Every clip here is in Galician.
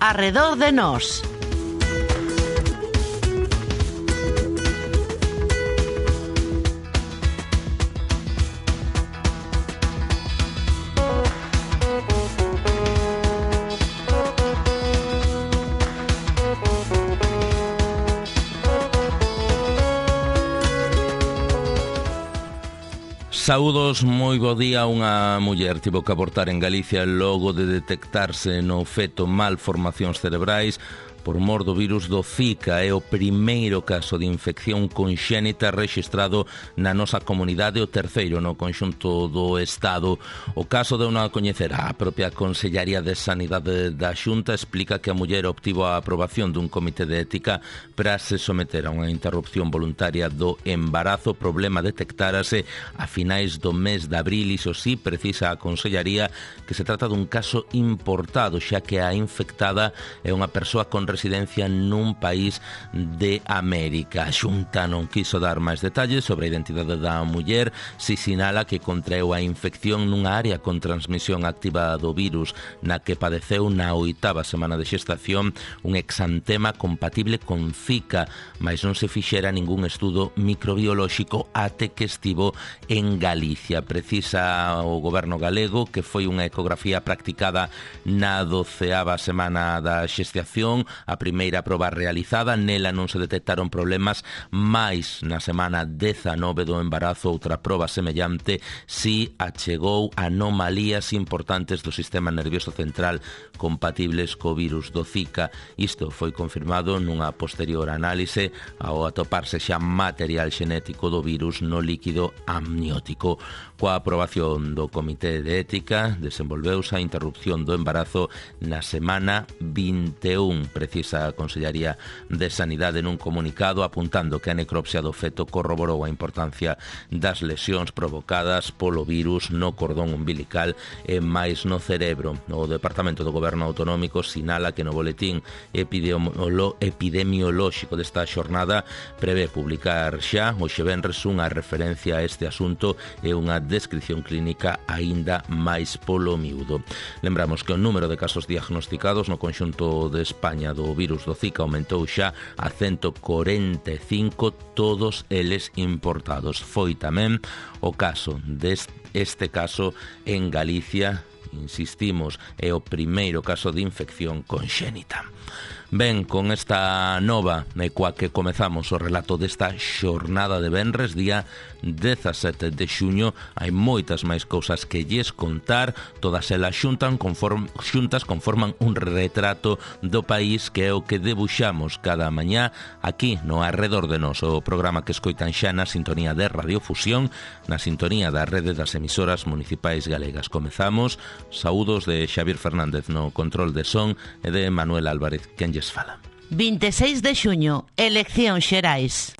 Arredor de nós. Saúdos, moi bo día. Unha muller tivo que abortar en Galicia logo de detectarse no feto malformacións cerebrais por mor do virus do Zika. É o primeiro caso de infección conxénita rexistrado na nosa comunidade, o terceiro no conxunto do Estado. O caso de unha coñecer a propia Consellaría de Sanidade da Xunta explica que a muller obtivo a aprobación dun comité de ética para se someter a unha interrupción voluntaria do embarazo. O problema detectárase a finais do mes de abril. Iso sí, precisa a Consellaría que se trata dun caso importado, xa que a infectada é unha persoa con residencia nun país de América. A Xunta non quiso dar máis detalles sobre a identidade da muller, si sinala que contraeu a infección nunha área con transmisión activa do virus na que padeceu na 8ª semana de xestación un exantema compatible con Zika, mas non se fixera ningún estudo microbiolóxico até que estivo en Galicia. Precisa o goberno galego que foi unha ecografía practicada na 12ª semana da xestación, a primeira proba realizada. Nela non se detectaron problemas, mais na semana 19 do embarazo outra proba semellante si achegou anomalías importantes do sistema nervioso central compatibles co virus do Zika. Isto foi confirmado nunha posterior análise ao atoparse xa material xenético do virus no líquido amniótico. Coa aprobación do Comité de Ética desenvolveuse a interrupción do embarazo na semana 21. Precisa a Consellaría de Sanidade nun comunicado apuntando que a necropsia do feto corroborou a importancia das lesións provocadas polo virus no cordón umbilical e máis no cerebro. O Departamento do Goberno Autonómico sinala que no boletín epidemiolóxico desta xornada prevé publicar xa hoxe venres unha referencia a este asunto e unha descripción clínica aínda máis polo miúdo. Lembramos que o número de casos diagnosticados no conxunto de España do virus do Zika aumentou xa a 145, todos eles importados. Foi tamén o caso deste caso en Galicia. Insistimos, é o primeiro caso de infección conxénita. Ben, con esta nova coa que comezamos o relato desta xornada de venres, día 17 de xuño, hai moitas máis cousas que lles contar. Todas elas xuntas conforman un retrato do país que é o que debuxamos cada mañá aquí no Arredor de Nós, o programa que escoitan xa na sintonía de Radiofusión, na sintonía da rede das emisoras municipais galegas. Comezamos. Saúdos de Xavier Fernández no control de son e de Manuel Álvarez, quen lles fala. 26 de xuño, eleccións xerais.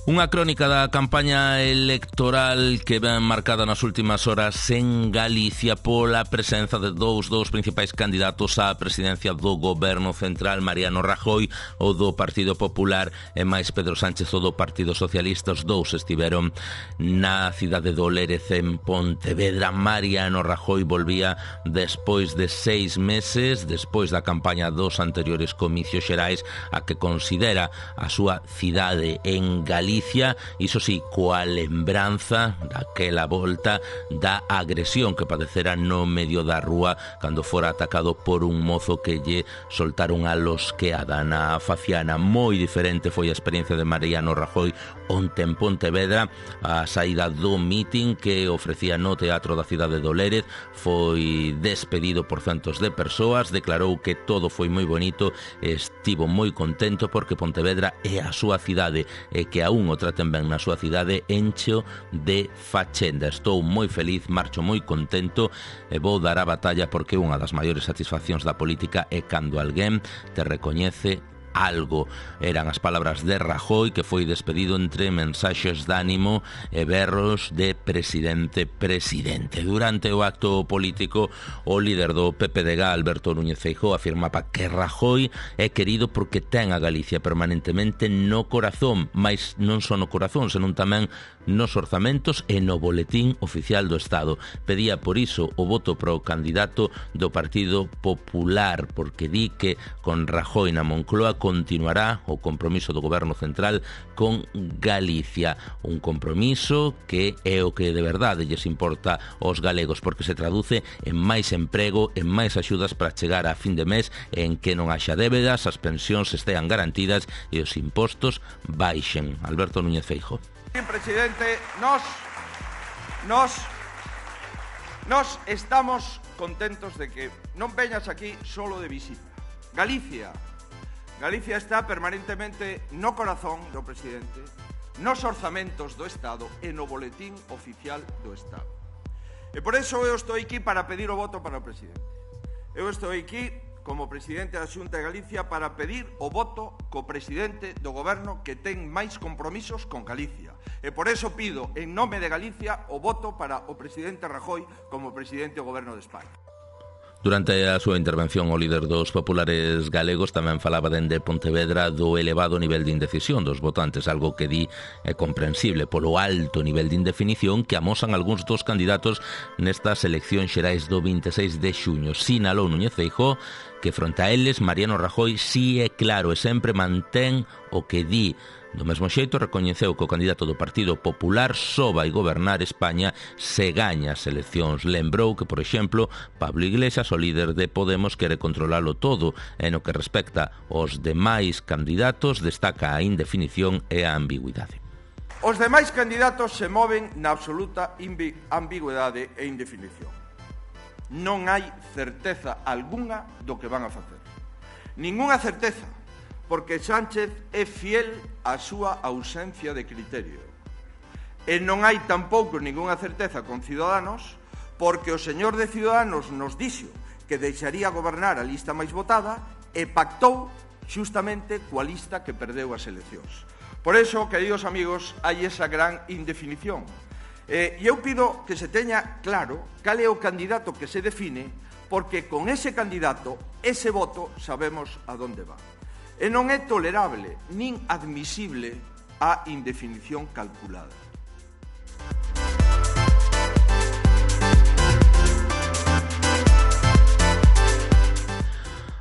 Unha crónica da campaña electoral que ven marcada nas últimas horas en Galicia pola presenza de dous principais candidatos á presidencia do Goberno Central, Mariano Rajoy, o do Partido Popular, e máis Pedro Sánchez, o do Partido Socialista. Os dous estiveron na cidade do Lérez, en Pontevedra. Mariano Rajoy volvía despois de 6 meses, despois da campaña dos anteriores comicios xerais, a que considera a súa cidade en Galicia. Iso sí, coa lembranza daquela volta da agresión que padecera no medio da rúa cando fora atacado por un mozo que lle soltaron a losqueada na faciana. Moi diferente foi a experiencia de Mariano Rajoy onte en Pontevedra. A saída do mitin que ofrecía no Teatro da Cidade do Lérez foi despedido por centos de persoas. Declarou que todo foi moi bonito, estivo moi contento porque Pontevedra é a súa cidade e que aún o traten ben na súa cidade, encheo de fachenda. Estou moi feliz, marcho moi contento e vou dar a batalla porque unha das maiores satisfaccións da política é cando alguén te recoñece algo. Eran as palabras de Rajoy, que foi despedido entre mensaxes de ánimo e berros de presidente. Durante o acto político, o líder do PPDG, Alberto Núñez Feijóo, afirmaba que Rajoy é querido porque ten a Galicia permanentemente no corazón, mais non só no corazón, senón tamén nos orzamentos e no boletín oficial do Estado. Pedía por iso o voto para o candidato do Partido Popular, porque di que con Rajoy na Moncloa continuará o compromiso do Goberno Central con Galicia, un compromiso que é o que de verdade lles importa aos galegos, porque se traduce en máis emprego, en máis axudas para chegar a fin de mes, en que non haxa débedas, as pensións estean garantidas e os impostos baixen. Alberto Núñez Feijóo. Presidente, nos estamos contentos de que non veñas aquí solo de visita. Galicia está permanentemente no corazón do presidente, nos orzamentos do Estado e no boletín oficial do Estado. E por eso eu estou aquí para pedir o voto para o presidente. Eu estou aquí como presidente da Xunta de Galicia para pedir o voto co presidente do Goberno que ten máis compromisos con Galicia. E por eso pido, en nome de Galicia, o voto para o presidente Rajoy como presidente do Goberno de España. Durante a súa intervención, o líder dos populares galegos tamén falaba dende Pontevedra do elevado nivel de indecisión dos votantes, algo que di é comprensible polo alto nivel de indefinición que amosan algúns dos candidatos nestas eleccións xerais do 26 de xuño. Sinalou Núñez Feijóo que fronte a eles Mariano Rajoy si é claro e sempre mantén o que di. Do mesmo xeito, recoñeceu que o candidato do Partido Popular só vai gobernar España se gaña as eleccións. Lembrou que, por exemplo, Pablo Iglesias, o líder de Podemos, quere controlalo todo, e no que respecta aos demais candidatos, destaca a indefinición e a ambigüidade. Os demais candidatos se moven na absoluta ambigüidade e indefinición. Non hai certeza algunha do que van a facer. Ningunha certeza, porque Sánchez é fiel á súa ausencia de criterio. E non hai tampouco ningunha certeza con Ciudadanos, porque o señor de Ciudadanos nos dixo que deixaría gobernar a lista máis votada e pactou xustamente coa lista que perdeu as eleccións. Por eso, queridos amigos, hai esa gran indefinición. E eu pido que se teña claro cal é o candidato que se define, porque con ese candidato, ese voto, sabemos a donde va. E non é tolerable nin admisible a indefinición calculada.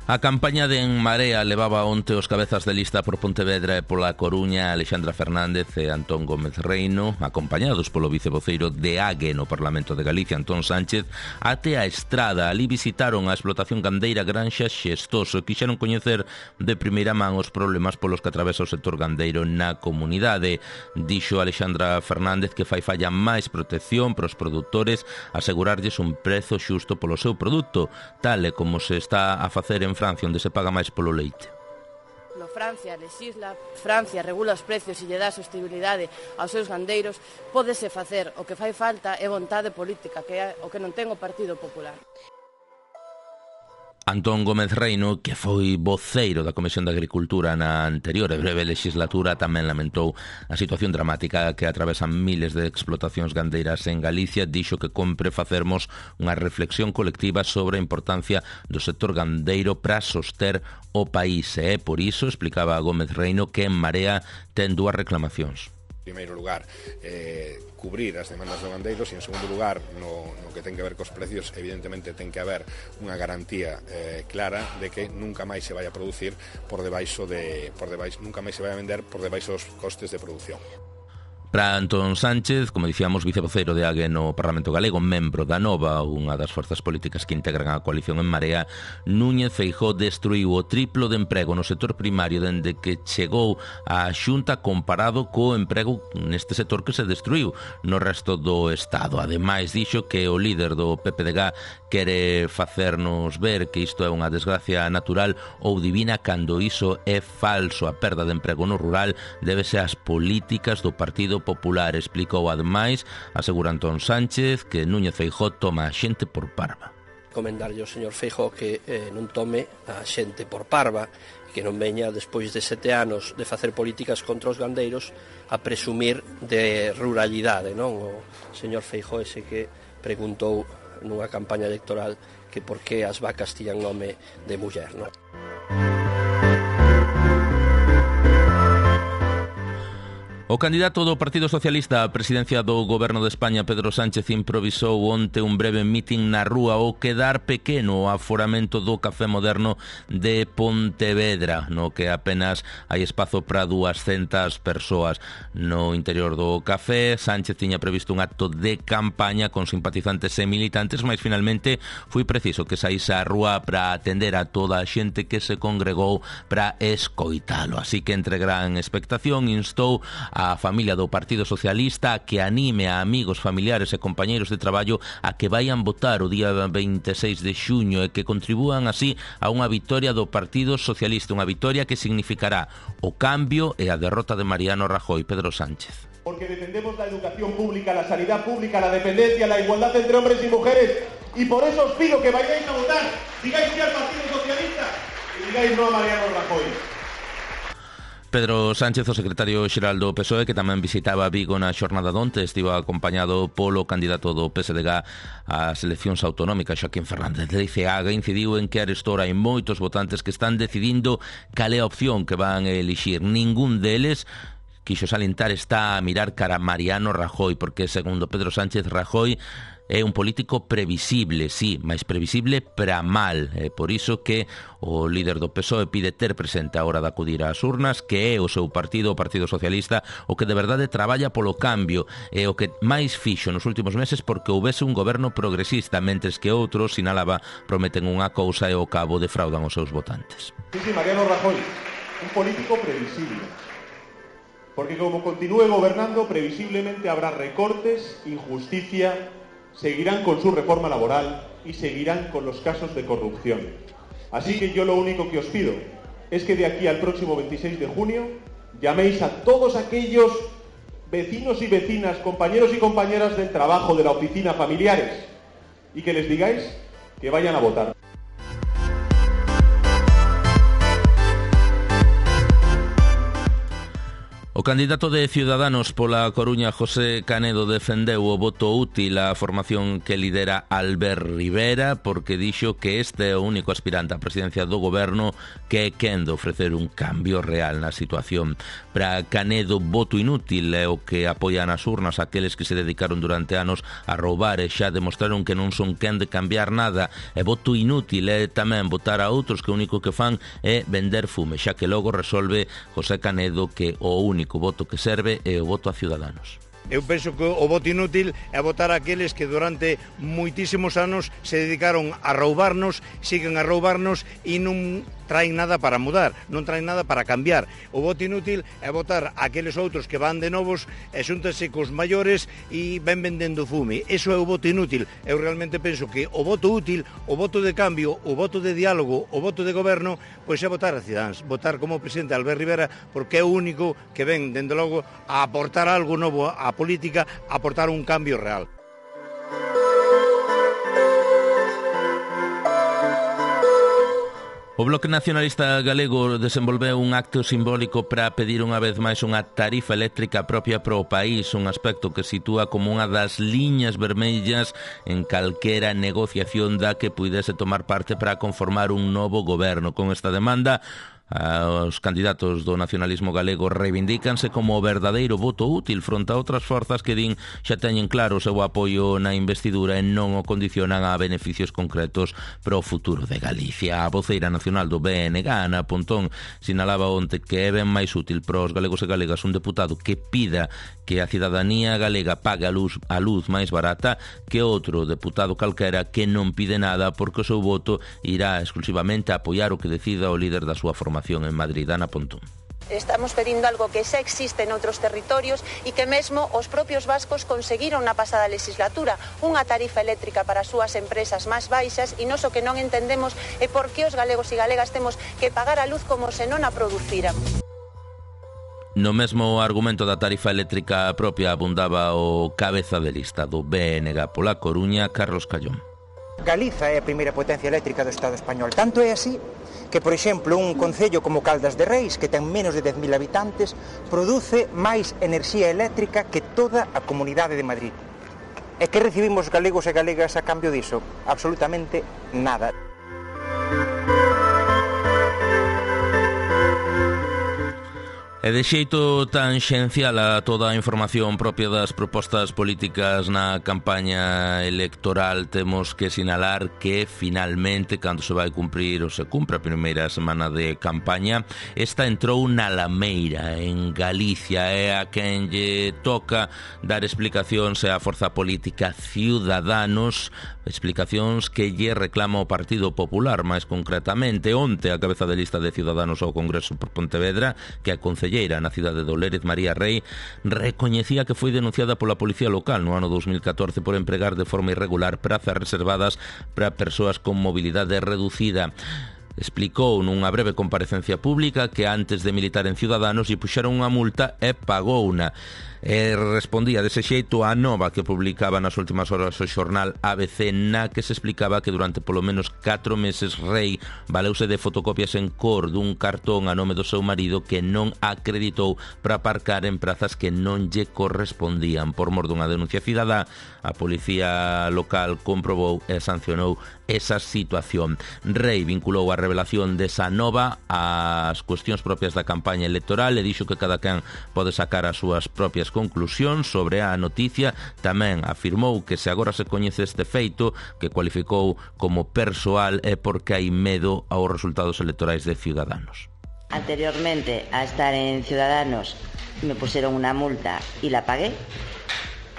A campaña de En Marea levaba onte os cabezas de lista por Pontevedra e pola Coruña, Alexandra Fernández e Antón Gómez Reino, acompañados polo vicevoceiro de AGE no Parlamento de Galicia, Antón Sánchez, até a Estrada. Ali visitaron a explotación gandeira Granxa Xestoso e quixeron coñecer de primeira man os problemas polos que atravesa o sector gandeiro na comunidade. Dixo Alexandra Fernández que fai falla máis protección para os produtores, asegurarlles un prezo xusto polo seu produto, tal e como se está a facer en Francia, onde se paga máis polo leite. Francia legisla, Francia regula os precios e lle dá sostenibilidade aos seus gandeiros, pódese facer. O que fai falta é vontade política, que é o que non ten o Partido Popular. Antón Gómez Reino, que foi voceiro da Comisión de Agricultura na anterior e breve legislatura, tamén lamentou a situación dramática que atravesan miles de explotacións gandeiras en Galicia. Dixo que compre facermos unha reflexión colectiva sobre a importancia do sector gandeiro para soster o país. E por iso, explicaba Gómez Reino, que En Marea ten dúas reclamacións. En primeiro lugar, cubrir as demandas dos gandeiros e, en segundo lugar, no que ten que ver cos precios, evidentemente ten que haber unha garantía clara de que nunca máis se vai a producir nunca máis se vai a vender por debaixo dos costes de produción. Para Antón Sánchez, como dicíamos, vicevoceiro de AGE no Parlamento Galego, membro da Nova, unha das forzas políticas que integran a coalición En Marea, Núñez Feijóo destruiu o triplo de emprego no sector primario dende que chegou á Xunta comparado co emprego neste sector que se destruiu no resto do Estado. Ademais, dixo que o líder do PPDG quere facernos ver que isto é unha desgracia natural ou divina cando iso é falso. A perda de emprego no rural débese ás políticas do Partido Popular. Explicou ademais, asegura Antón Sánchez, que Núñez Feijóo toma a xente por parva. Comendarlle ao señor Feijóo que non tome a xente por parva, que non veña despois de 7 anos de facer políticas contra os gandeiros a presumir de ruralidade, non? O señor Feijóo ese que preguntou nunha campaña electoral que por que as vacas tiñan nome de muller, non? O candidato do Partido Socialista á presidencia do Goberno de España, Pedro Sánchez, improvisou onte un breve mitin na rúa ao quedar pequeno o aforamento do Café Moderno de Pontevedra, no que apenas hai espazo para 200 persoas. No interior do café, Sánchez tiña previsto un acto de campaña con simpatizantes e militantes, mas finalmente foi preciso que saíse á rúa para atender a toda a xente que se congregou para escoitalo. Así que, entre gran expectación, instou a familia do Partido Socialista a que anime a amigos, familiares e compañeiros de traballo a que vayan votar o día 26 de xuño e que contribúan así a unha vitoria do Partido Socialista, unha vitoria que significará o cambio e a derrota de Mariano Rajoy. Pedro Sánchez. Porque defendemos la educación pública, la sanidad pública, la dependencia, la igualdad entre hombres y mujeres, y por eso os pido que vayáis a votar, digáis sí al Partido Socialista y digáis no a Mariano Rajoy. Pedro Sánchez, o secretario xeral do PSOE, que tamén visitaba Vigo na xornada donte, estivo acompañado polo candidato do PSDG ás eleccións autonómicas, Joaquín Fernández de Ceaga, incidiu en que arestora hai moitos votantes que están decidindo cal é a opción que van a elixir. Ningún deles, quixo salientar, está a mirar cara a Mariano Rajoy, porque, segundo Pedro Sánchez, Rajoy é un político previsible, sí, máis previsible para mal. É por iso que o líder do PSOE pide ter presente a hora de acudir ás urnas que é o seu partido, o Partido Socialista, o que de verdade traballa polo cambio e o que máis fixo nos últimos meses porque houbese un goberno progresista, mentres que outros, sinalaba, prometen unha cousa e ao cabo defraudan os seus votantes. Sí, Mariano Rajoy, un político previsible. Porque como continúe gobernando, previsiblemente habrá recortes, injusticia, seguirán con su reforma laboral y seguirán con los casos de corrupción. Así que yo lo único que os pido es que de aquí al próximo 26 de junio llaméis a todos aquellos vecinos y vecinas, compañeros y compañeras del trabajo, de la oficina, familiares, y que les digáis que vayan a votar. O candidato de Ciudadanos pola Coruña, José Canedo, defendeu o voto útil á formación que lidera Albert Rivera porque dixo que este é o único aspirante á presidencia do goberno que é quen de ofrecer un cambio real na situación. Para Canedo, voto inútil é o que apoian as urnas aqueles que se dedicaron durante anos a roubar e xa demostraron que non son quen de cambiar nada. E voto inútil é tamén votar a outros que o único que fan é vender fume, xa que logo resolve José Canedo que o único voto que serve é o voto a Ciudadanos. Eu penso que o voto inútil é votar aqueles que durante moitísimos anos se dedicaron a roubarnos, siguen a roubarnos e non traen nada para mudar, non traen nada para cambiar. O voto inútil é votar aqueles outros que van de novos e xúntanse cos maiores e ven vendendo fume. Eso é o voto inútil. Eu realmente penso que o voto útil, o voto de cambio, o voto de diálogo, o voto de goberno, pois é votar a Ciudadanos, votar como presidente Albert Rivera, porque é o único que ven, dende logo, a aportar algo novo á política, a aportar un cambio real. O Bloque Nacionalista Galego desenvolveu un acto simbólico para pedir unha vez máis unha tarifa eléctrica propia para o país, un aspecto que sitúa como unha das liñas vermellas en calquera negociación da que puidese tomar parte para conformar un novo goberno. Con esta demanda, os candidatos do nacionalismo galego reivindícanse como o verdadeiro voto útil fronte a outras forzas que din xa teñen claro o seu apoio na investidura e non o condicionan a beneficios concretos para o futuro de Galicia. A voceira nacional do BNG, Ana Pontón, sinalaba onte que é ben máis útil para os galegos e galegas un deputado que pida que a cidadanía galega pague a luz máis barata que outro deputado calquera que non pide nada porque o seu voto irá exclusivamente a apoiar o que decida o líder da súa formación en Madrid. Ana Pontón. Estamos pedindo algo que xa existe en outros territorios e que mesmo os propios vascos conseguiron na pasada legislatura, unha tarifa eléctrica para as súas empresas máis baixas, e nós o que non entendemos é por que os galegos e galegas temos que pagar a luz como se non a produciran. No mesmo argumento da tarifa eléctrica propia abundaba o cabeza de lista do BNG pola Coruña, Carlos Callón. Galiza é a primeira potencia eléctrica do Estado español. Tanto é así que, por exemplo, un concello como Caldas de Reis, que ten menos de 10.000 habitantes, produce máis enerxía eléctrica que toda a Comunidade de Madrid. E que recibimos galegos e galegas a cambio diso? Absolutamente nada. E de xeito tanxencial a toda a información propia das propostas políticas na campaña electoral, temos que sinalar que finalmente, cando se vai cumprir ou se cumpre a primeira semana de campaña, esta entrou na Lameira, en Galicia, é a quen lle toca dar explicacións á forza política Ciudadanos, explicacións que lle reclama o Partido Popular, máis concretamente. Onte a cabeza de lista de Ciudadanos ao Congreso por Pontevedra, que a concelleira na cidade de Lérez, María Rey, recoñecía que foi denunciada pola Policía Local no ano 2014 por empregar de forma irregular prazas reservadas para persoas con mobilidade reducida. Explicou nunha breve comparecencia pública que antes de militar en Ciudadanos lle puxeron unha multa e pagouna. E respondía dese xeito a nova que publicaba nas últimas horas o xornal ABC, na que se explicaba que durante polo menos 4 meses Rey valeuse de fotocopias en cor dun cartón a nome do seu marido que non acreditou para aparcar en prazas que non lle correspondían. Por mor dunha denuncia cidadá, a Policía Local comprobou e sancionou esa situación. Rey vinculou a revelación desa nova ás cuestións propias da campaña electoral e dixo que cada quen pode sacar as súas propias conclusións sobre a noticia. Tamén afirmou que se agora se coñece este feito, que cualificou como persoal, é porque hai medo aos resultados electorais de Ciudadanos. Anteriormente a estar en Ciudadanos me pusieron una multa y la pagué,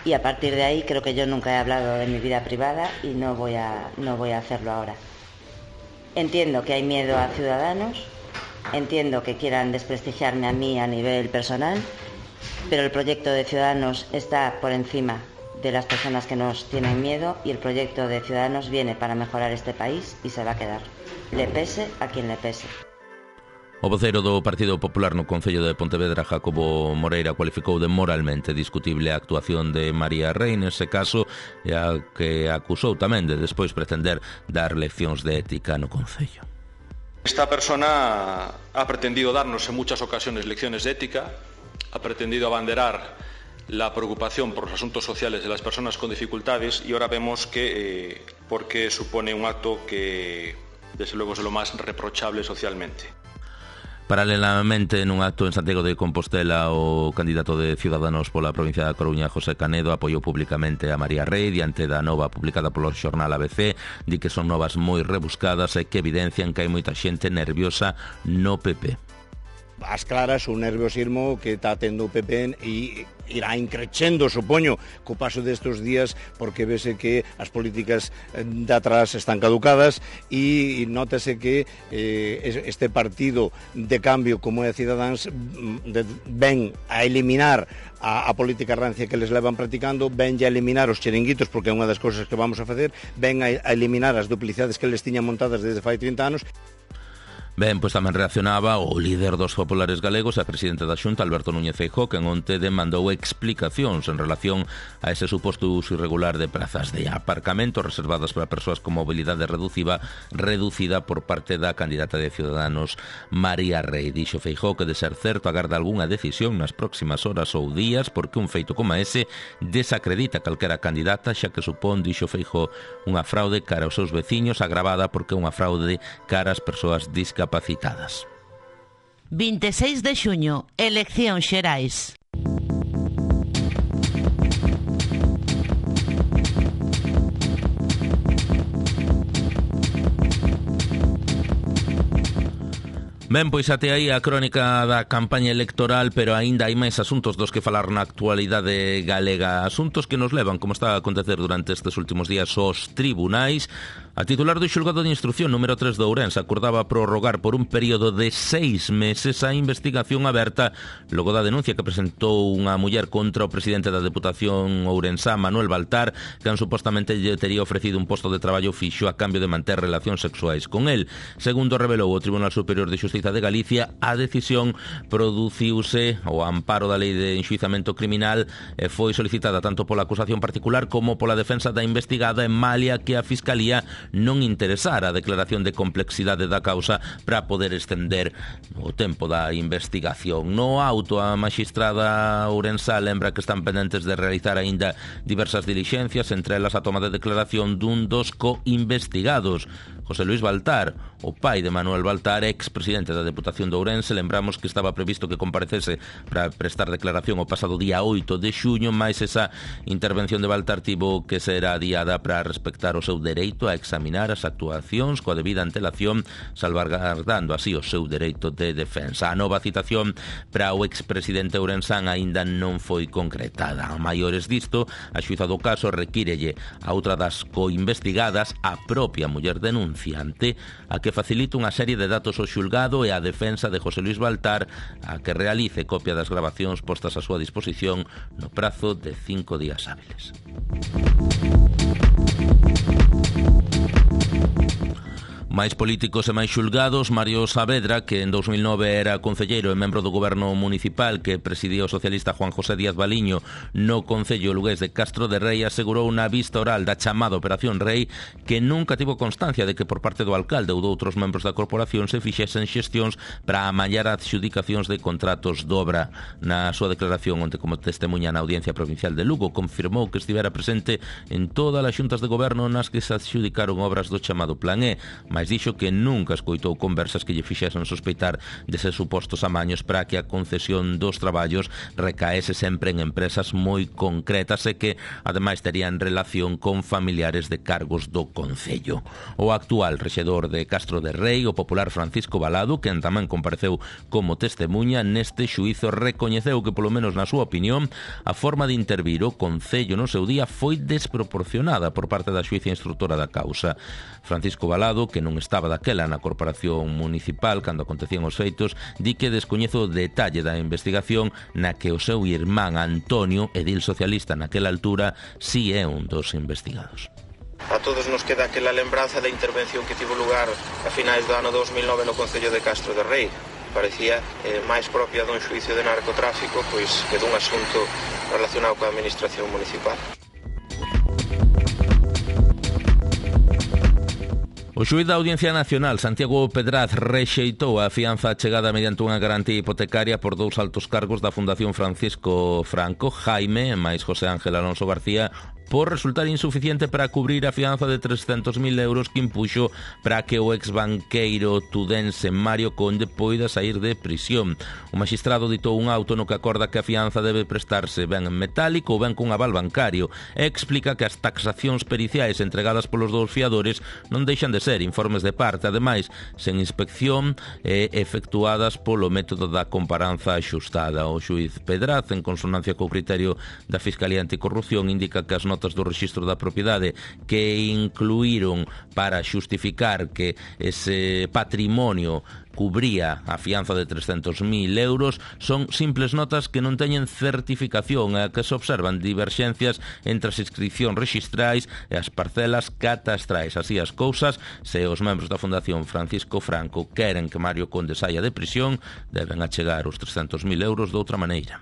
y a partir de ahí creo que yo nunca he hablado de mi vida privada y no voy a hacerlo ahora. Entiendo que hay miedo a Ciudadanos, entiendo que quieran desprestigiarme a mí a nivel personal, pero el proyecto de Ciudadanos está por encima de las personas que nos tienen miedo, y el proyecto de Ciudadanos viene para mejorar este país y se va a quedar, le pese a quien le pese. O voceiro do Partido Popular no Concello de Pontevedra, Jacobo Moreira, cualificou de moralmente discutible a actuación de María Rey nese caso, e a que acusou tamén de despois pretender dar leccións de ética no Concello. Esta persona ha pretendido darnos en muchas ocasiones lecciones de ética, ha pretendido abanderar la preocupación por los asuntos sociales de las personas con dificultades, y ahora vemos que porque supone un acto que desde luego es lo más reprochable socialmente. Paralelamente, nun acto en Santiago de Compostela, o candidato de Ciudadanos pola provincia da Coruña, José Canedo, apoiou públicamente a María Rey diante da nova publicada polo xornal ABC. Di que son novas moi rebuscadas e que evidencian que hai moita xente nerviosa no PP. As claras, o nerviosismo que está tendo o PP e irá increchendo, supoño, co paso destes días, porque vese que as políticas de atrás están caducadas e nótese que este partido de cambio como é Ciudadanos ven a eliminar a política rancia que les levan practicando, ven a eliminar os chiringuitos, porque é unha das cousas que vamos a facer, ven a eliminar as duplicidades que les tiñan montadas desde fai 30 anos. Ben, pois tamén reaccionaba o líder dos populares galegos e presidente da Xunta, Alberto Núñez Feijóo, que onte demandou explicacións en relación a ese suposto uso irregular de prazas de aparcamento reservadas para persoas con mobilidade reducida por parte da candidata de Ciudadanos, María Rey. Dixo Feijóo que, de ser certo, agarda algunha decisión nas próximas horas ou días, porque un feito como ese desacredita calquera candidata, xa que supón, dixo Feijóo, unha fraude cara aos seus veciños, agravada porque é unha fraude cara ás persoas discapacitadas. 26 de xuño, eleccións xerais. Ben, pois até aí a crónica da campaña electoral, pero aínda hai máis asuntos dos que falar na actualidade galega. Asuntos que nos levan, como está a acontecer durante estes últimos días, aos tribunais. A titular do xulgado de instrucción número 3 de Ourense acordaba prorrogar por un período de 6 meses a investigación aberta logo da denuncia que presentou unha muller contra o presidente da Deputación ourensá, Manuel Baltar, que supostamente lle tería ofrecido un posto de traballo fixo a cambio de manter relacións sexuais con el. Segundo revelou o Tribunal Superior de Xustiza de Galicia, a decisión produciuse ao amparo da Lei de Enxuizamento Criminal e foi solicitada tanto pola acusación particular como pola defensa da investigada en malia que a Fiscalía non interesara a declaración de complexidade da causa para poder estender o tempo da investigación. No auto, a magistrada ourensá lembra que están pendentes de realizar aínda diversas dilixencias, entre elas a toma de declaración dun dos co-investigados, José Luis Baltar, o pai de Manuel Baltar, ex-presidente da Deputación de Ourense. Lembramos que estaba previsto que comparecese para prestar declaración o pasado día 8 de xuño, mais esa intervención de Baltar tivo que ser adiada para respectar o seu dereito a examinar as actuacións coa debida antelación, salvaguardando así o seu dereito de defensa. A nova citación para o ex-presidente ourensán aínda non foi concretada. A maiores disto, a xuíza do caso requírelle a outra das co-investigadas, a propia muller denunciante, a que facilite unha serie de datos ao xulgado e a defensa de José Luis Baltar a que realice copia das grabacións postas a súa disposición no prazo de 5 días hábiles. Máis políticos e máis xulgados. Mario Saavedra, que en 2009 era concelleiro e membro do goberno municipal que presidía o socialista Juan José Díaz Baliño no concello lugués de Castro de Rei, asegurou na vista oral da chamada Operación Rei que nunca tivo constancia de que por parte do alcalde ou de outros membros da corporación se fixesen xestións para amallar adxudicacións de contratos de obra. Na súa declaración onte como testemunha na Audiencia Provincial de Lugo, confirmou que estivera presente en todas as xuntas de goberno nas que se adxudicaron obras do chamado Plan E, mas dixo que nunca escoitou conversas que lle fixesen sospeitar deses supostos amaños para que a concesión dos traballos recaese sempre en empresas moi concretas e que, ademais, terían relación con familiares de cargos do concello. O actual rexedor de Castro de Rei, o popular Francisco Balado, quen tamén compareceu como testemunha neste xuízo, recoñeceu que, polo menos na súa opinión, a forma de intervir o concello no seu día foi desproporcionada por parte da xuíza instructora da causa. Francisco Balado, que non estaba daquela na corporación municipal cando acontecían os feitos, di que descoñezo o detalle da investigación na que o seu irmán Antonio, edil socialista naquela altura, si é un dos investigados. A todos nos queda aquela lembranza da intervención que tivo lugar a finais do ano 2009 no concello de Castro de Rei. Parecía máis propia dun xuicio de narcotráfico pois que dun asunto relacionado coa administración municipal. O xuíz da Audiencia Nacional, Santiago Pedraz, rexeitou a fianza chegada mediante unha garantía hipotecaria por dous altos cargos da Fundación Francisco Franco, Jaime, máis José Ángel Alonso García, por resultar insuficiente para cubrir a fianza de 300.000 euros que impuxo para que o exbanqueiro tudense Mario Conde poida sair de prisión. O magistrado ditou un auto no que acorda que a fianza debe prestarse ben en metálico ou ben cun aval bancario e explica que as taxacións periciais entregadas polos dous fiadores non deixan de ser informes de parte, ademais, sen inspección e efectuadas polo método da comparanza axustada. O xuíz Pedraz, en consonancia co criterio da Fiscalía Anticorrupción, indica que as notas do rexistro da propiedade que incluíron para xustificar que ese patrimonio cubría a fianza de 300.000 euros son simples notas que non teñen certificación e que se observan diverxencias entre as inscripcións rexistrais e as parcelas catastrais. Así as cousas, se os membros da Fundación Francisco Franco queren que Mario Conde saia de prisión, deben achegar os 300.000 euros de outra maneira.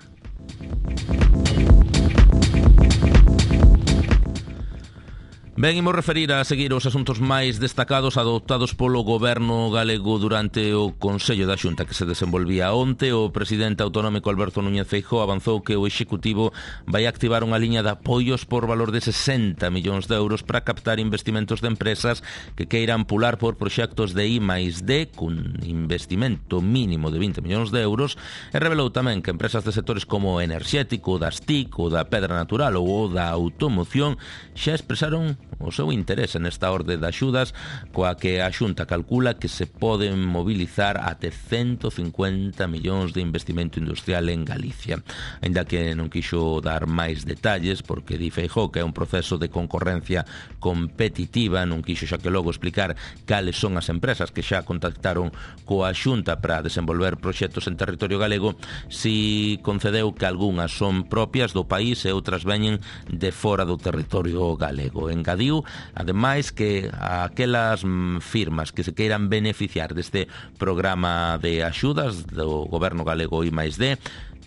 Ben, imos referir a seguir os asuntos máis destacados adoptados polo goberno galego durante o Consello da Xunta que se desenvolvía onte. O presidente autonómico Alberto Núñez Feijóo avanzou que o Executivo vai activar unha liña de apoios por valor de 60 millóns de euros para captar investimentos de empresas que queiran pular por proxectos de I+D cun investimento mínimo de 20 millóns de euros e revelou tamén que empresas de sectores como o enerxético, das TIC, o da pedra natural ou o da automoción xa expresaron o seu interese nesta orde de axudas, coa que a Xunta calcula que se poden mobilizar até 150 millóns de investimento industrial en Galicia. Aínda que non quixo dar máis detalles, porque di Feijóo que é un proceso de concorrencia competitiva, non quixo xa que logo explicar cales son as empresas que xa contactaron coa Xunta para desenvolver proxectos en territorio galego, si concedeu que algunhas son propias do país e outras veñen de fora do territorio galego. Engadiu, ademais, que aquelas firmas que se queiran beneficiar deste programa de axudas do goberno galego I+D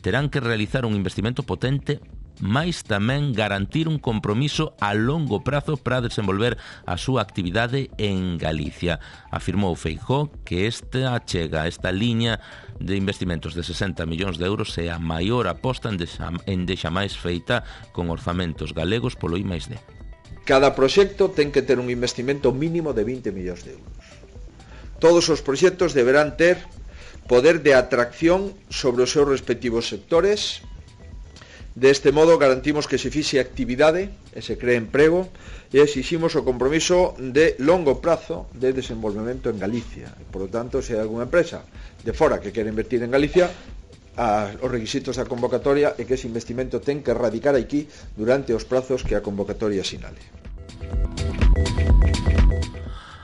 terán que realizar un investimento potente, mais tamén garantir un compromiso a longo prazo para desenvolver a súa actividade en Galicia. Afirmou Feijóo que esta liña de investimentos de 60 millóns de euros é a maior aposta endexamais feita con orzamentos galegos polo I+D. Cada proxecto ten que ter un investimento mínimo de 20 millóns de euros. Todos os proxectos deberán ter poder de atracción sobre os seus respectivos sectores. Deste modo garantimos que se fixe actividade e se cree emprego e exiximos o compromiso de longo prazo de desenvolvemento en Galicia. Por lo tanto, se hai algunha empresa de fora que quere invertir en Galicia, os requisitos da convocatoria é que ese investimento ten que radicar aquí durante os prazos que a convocatoria sinale.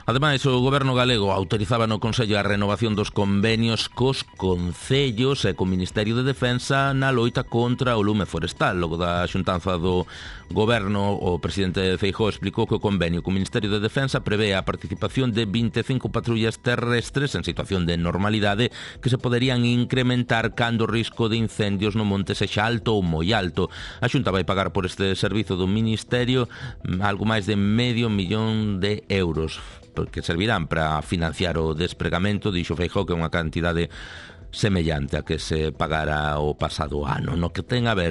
Ademais, o goberno galego autorizaba no Consello a renovación dos convenios cos concellos e co Ministerio de Defensa na loita contra o lume forestal. Logo da xuntanza do goberno, o presidente Feijóo explicou que o convenio co Ministerio de Defensa prevé a participación de 25 patrullas terrestres en situación de normalidade que se poderían incrementar cando o risco de incendios no monte sexa alto ou moi alto. A Xunta vai pagar por este servizo do Ministerio algo máis de €500 millóns, porque servirán para financiar o despregamento, dixo Feijóo, que é unha cantidade semellante a que se pagara o pasado ano. No que ten a ver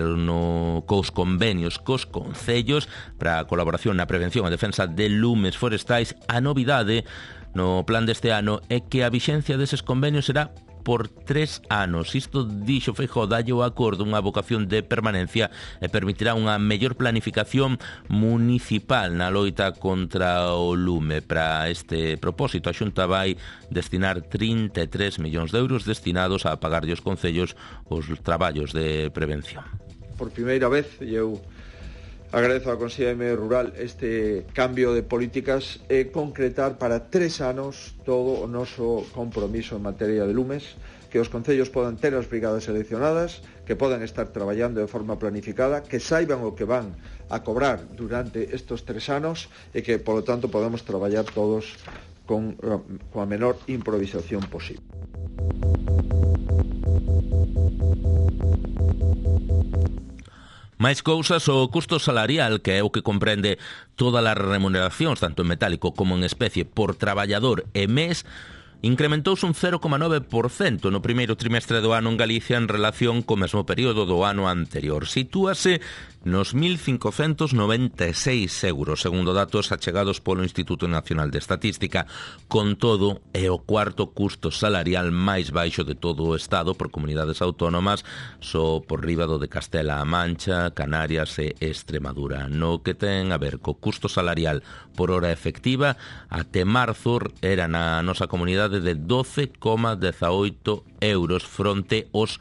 cos convenios cos concellos para a colaboración na prevención e defensa de lumes forestais, a novidade no plan deste ano é que a vixencia deses convenios será por 3 anos. Isto, dixo Feijóo, dalle o acordo unha vocación de permanencia e permitirá unha mellor planificación municipal na loita contra o lume. Para este propósito, a Xunta vai destinar 33 millóns de euros destinados a pagarlle aos concellos os traballos de prevención. Por primeira vez, eu agradezo á Consellería de Medio Rural este cambio de políticas e concretar para 3 anos todo o noso compromiso en materia de lumes, que os concellos podan ter as brigadas seleccionadas, que podan estar traballando de forma planificada, que saiban o que van a cobrar durante estos 3 anos e que, polo tanto, podamos traballar todos con a menor improvisación posible. Máis cousas, o custo salarial, que é o que comprende todas as remuneracións, tanto en metálico como en especie, por traballador e mes, incrementouse un 0,9% no primeiro trimestre do ano en Galicia en relación co mesmo período do ano anterior. Sitúase nos 1.596 euros, segundo datos achegados polo Instituto Nacional de Estatística. Con todo, é o cuarto custo salarial máis baixo de todo o Estado por comunidades autónomas, só por riba do de Castela-A Mancha, Canarias e Extremadura. No que ten a ver co custo salarial por hora efectiva, até marzo era na nosa comunidade de 12,18 euros fronte aos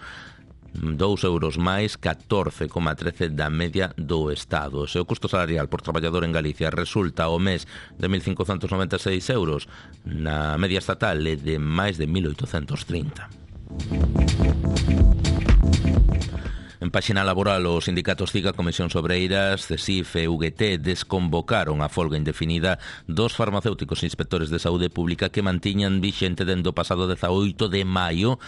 2 euros máis 14,13 da media do Estado. Se o custo salarial por traballador en Galicia resulta ao mes de 1.596 euros, na media estatal é de máis de 1.830. En páxina laboral, os sindicatos CIGA, Comisións Obreiras, CESIF e UGT desconvocaron a folga indefinida dos farmacéuticos inspectores de saúde pública que mantiñan vixente dende o pasado 18 de maio,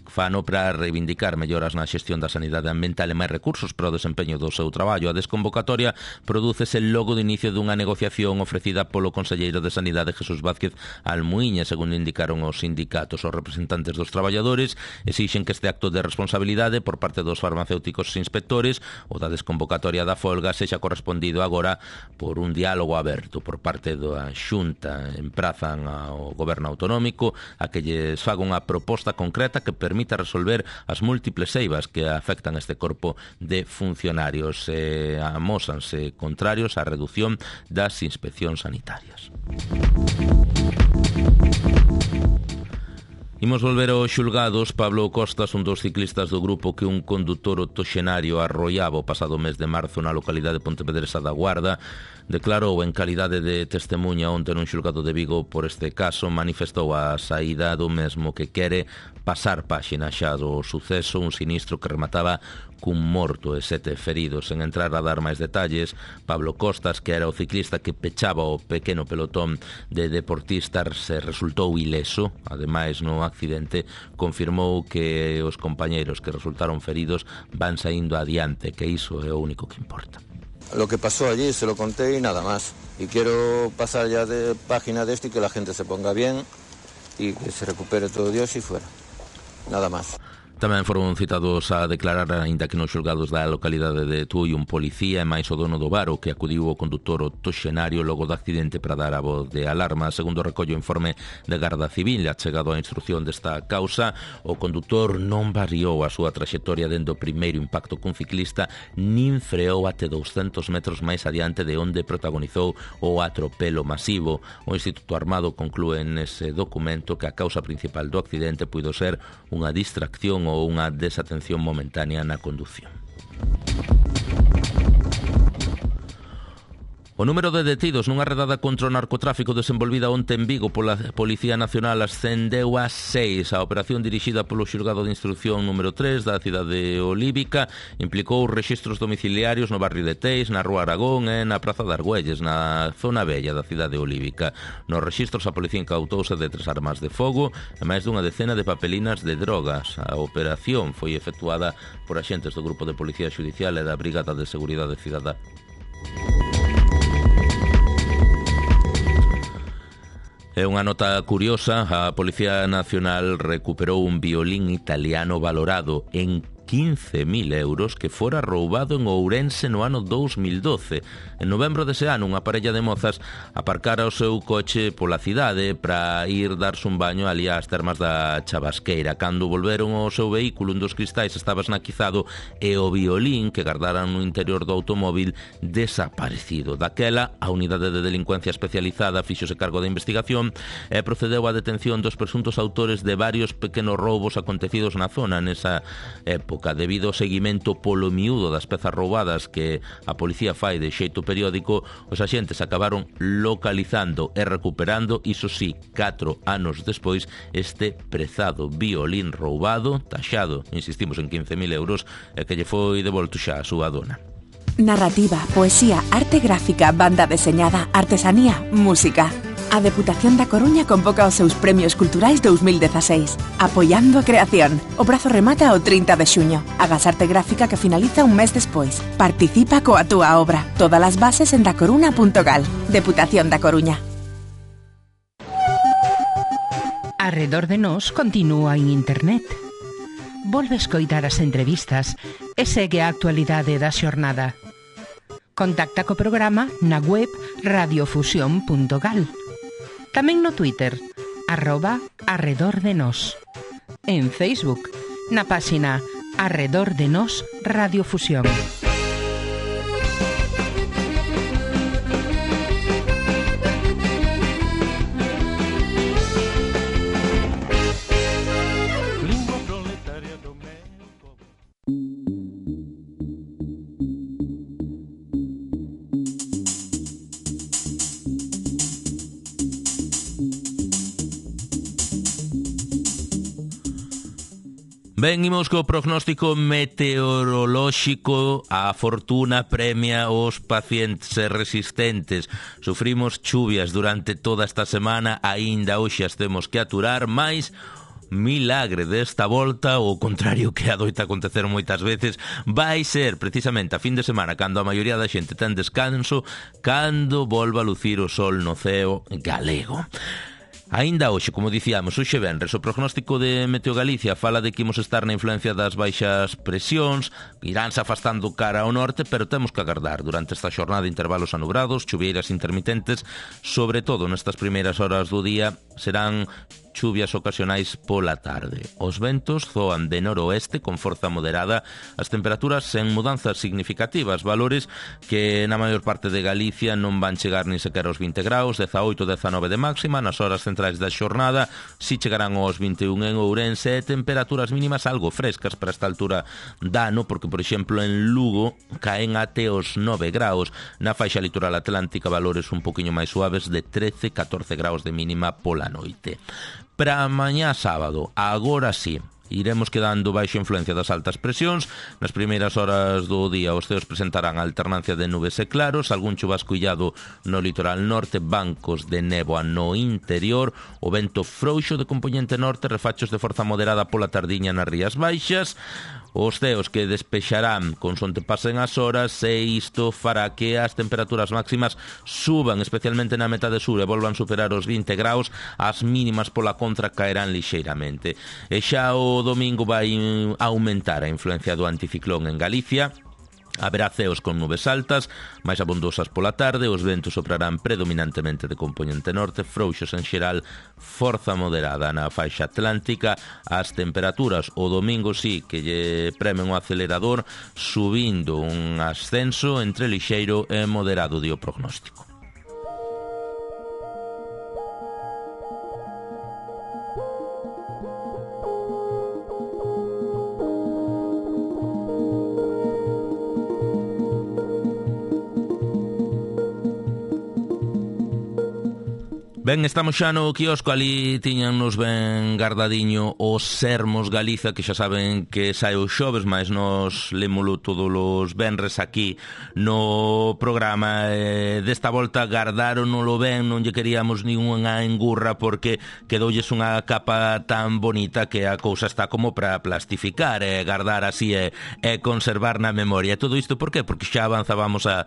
fano para reivindicar melloras na xestión da sanidade ambiental e máis recursos para o desempeño do seu traballo. A desconvocatoria prodúcese logo de inicio dunha negociación ofrecida polo conselleiro de Sanidade Jesús Vázquez Almuíña, segundo indicaron os sindicatos. Os representantes dos traballadores exixen que este acto de responsabilidade por parte dos farmacéuticos inspectores, o da desconvocatoria da folga, sexa correspondido agora por un diálogo aberto por parte da Xunta. Emprazan ao goberno autonómico a que lles faga unha proposta concreta que permita permita resolver as múltiples eivas que afectan este corpo de funcionarios. Amósanse contrarios á reducción das inspeccións sanitarias. Imos volver aos xulgados. Pablo Costas, un dos ciclistas do grupo que un condutor octoxenario arrollaba o pasado mes de marzo na localidade pontevedresa da Guarda, declarou en calidade de testemunha onte nun xulgado de Vigo por este caso. Manifestou a saída do mesmo, que quere pasar páxina xa do suceso, un sinistro que remataba cun morto e 7 feridos. En entrar a dar máis detalles, Pablo Costas, que era o ciclista que pechaba o pequeno pelotón de deportistas, se resultou ileso. Ademais, no accidente, confirmou que os compañeiros que resultaron feridos van saindo adiante, que iso é o único que importa. Lo que pasó allí se lo conté y nada más. Y quiero pasar ya de página de esto y que la gente se ponga bien y que se recupere todo Dios y fuera. Nada más. Tamén foron citados a declarar, aínda que nos xulgados da localidade de Tui, un policía e máis o dono do bar, o que acudiu o condutor octoxenario logo do accidente para dar a voz de alarma. Segundo recollo o informe de Garda Civil, achegado á instrucción desta causa, o condutor non variou a súa traxectoria dende o primeiro impacto cun ciclista, nin freou até 200 metros máis adiante de onde protagonizou o atropelo masivo. O Instituto Armado conclúe nese documento que a causa principal do accidente puido ser unha distracción ou unha desatención momentánea na condución. O número de detidos nunha redada contra o narcotráfico desenvolvida onte en Vigo pola Policía Nacional ascendeu a 6. A operación dirixida polo xulgado de instrucción número 3 da cidade olívica implicou rexistros domiciliarios no barrio de Teis, na Rúa Aragón e na Praza de Argüelles, na zona bella da cidade olívica. Nos rexistros a policía incautouse de 3 armas de fogo e máis dunha decena de papelinas de drogas. A operación foi efectuada por axentes do Grupo de Policía Xudicial e da Brigada de Seguridade Cidadá. É unha nota curiosa. A Policía Nacional recuperou un violín italiano valorado en 15.000 euros que fora roubado en Ourense no ano 2012. En novembro dese ano, unha parella de mozas aparcara o seu coche pola cidade para ir darse un baño ali ás termas da Chabasqueira. Cando volveron ao seu vehículo, un dos cristais estaba esnaquizado e o violín que gardaran no interior do automóvil desaparecido. Daquela, a unidade de delincuencia especializada fíxose cargo da investigación e procedeu á detención dos presuntos autores de varios pequenos roubos acontecidos na zona nesa época. Debido ao seguimento polo miúdo das pezas roubadas que a policía fai de xeito periódico, os axentes acabaron localizando e recuperando, iso sí, 4 anos despois, este prezado violín roubado, taxado, insistimos, en 15.000 euros, e que lle foi devolto xa a súa dona. Narrativa, poesía, arte gráfica, banda deseñada, artesanía, música. A Deputación da Coruña convoca os seus Premios Culturais 2016. Apoiando a creación. O prazo remata o 30 de xuño. Agas arte gráfica que finaliza un mes despois. Participa coa túa obra. Todas as bases en dacoruna.gal. Deputación da Coruña. Arredor de nós continúa en internet. Volve escoitar as entrevistas e segue a actualidade da xornada. Contacta co programa na web radiofusión.gal. Tamén no Twitter, @arredordenos. En Facebook, na páxina Arredor de Nós Radiofusión. Ben, imos co prognóstico meteorolóxico. A fortuna premia os pacientes resistentes. Sufrimos chuvias durante toda esta semana, aínda hoxe as temos que aturar, mais milagre desta volta, o contrario que adoita acontecer moitas veces, vai ser precisamente a fin de semana cando a maioría da xente ten descanso, cando volva a lucir o sol no ceo galego. Aínda hoxe, como dicíamos, hoxe venres, o prognóstico de Meteo Galicia fala de que imos estar na influencia das baixas presións, iránse afastando cara ao norte, pero temos que agardar durante esta xornada intervalos anubrados, chuvieiras intermitentes, sobre todo nestas primeiras horas do día, serán chuvias ocasionais pola tarde. Os ventos zoan de noroeste con forza moderada, as temperaturas sen mudanzas significativas, valores que na maior parte de Galicia non van chegar nin sequera aos 20 graus, 18-19 de máxima, nas horas centrais da xornada si chegarán aos 21 en Ourense, e temperaturas mínimas algo frescas para esta altura da ano, porque, por exemplo, en Lugo caen até os 9 graus, na faixa litoral atlántica valores un poquinho máis suaves de 13-14 graus de mínima pola noite. Para mañá sábado, agora sí, iremos quedando baixo influencia das altas presións. Nas primeiras horas do día os ceos presentarán alternancia de nubes e claros, algún chubasco illado no litoral norte, bancos de néboa no interior, o vento frouxo de compoñente norte, refachos de forza moderada pola tardiña nas Rías Baixas, os ceos que despexarán consonte pasen as horas, e isto fará que as temperaturas máximas suban, especialmente na metade sur, e volvan superar os 20 graus, as mínimas pola contra caerán lixeiramente. E xa o domingo vai aumentar a influencia do anticiclón en Galicia. Haberá ceos con nubes altas, máis abondosas pola tarde, os ventos soprarán predominantemente de compoñente norte, frouxos en xeral, forza moderada na faixa atlántica. As temperaturas o domingo sí que lle premen o acelerador, subindo un ascenso entre lixeiro e moderado, di o prognóstico. Ben, estamos xa no quiosco, ali tiñannos ben guardadiño os Sermos Galiza, que xa saben que sae os xoves, mas nos lémolo todos os venres aquí no programa. Desta volta gardáronolo ben, non lle queríamos nin unha engurra, porque quedoulles unha capa tan bonita que a cousa está como para plastificar e gardar así e conservar na memoria. Todo isto por qué? Porque xa avanzábamos a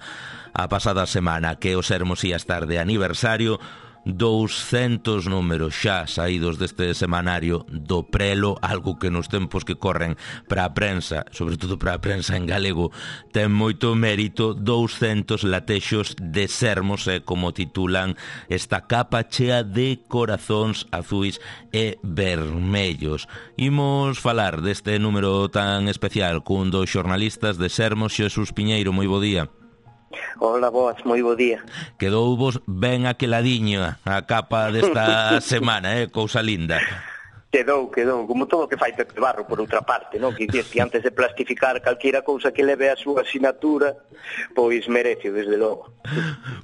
pasada semana que os Sermos ia estar de aniversario. 200 números xa saídos deste semanario do Prelo, algo que nos tempos que corren para a prensa, sobre todo para a prensa en galego, ten moito mérito. 200 latexos de Sermos, como titulan esta capa chea de corazóns azuis e vermellos. Imos falar deste número tan especial cun dos xornalistas de Sermos, Xesús Piñeiro. Moi bo día. Hola, boas, moi bo día. Quedou vos ben aqueladiño a capa desta semana, cousa linda. Quedou, como todo o que fai Pepe Barro, por outra parte, non? Que dices que antes de plastificar calquera cousa que leve a súa asinatura, pois merece, desde logo.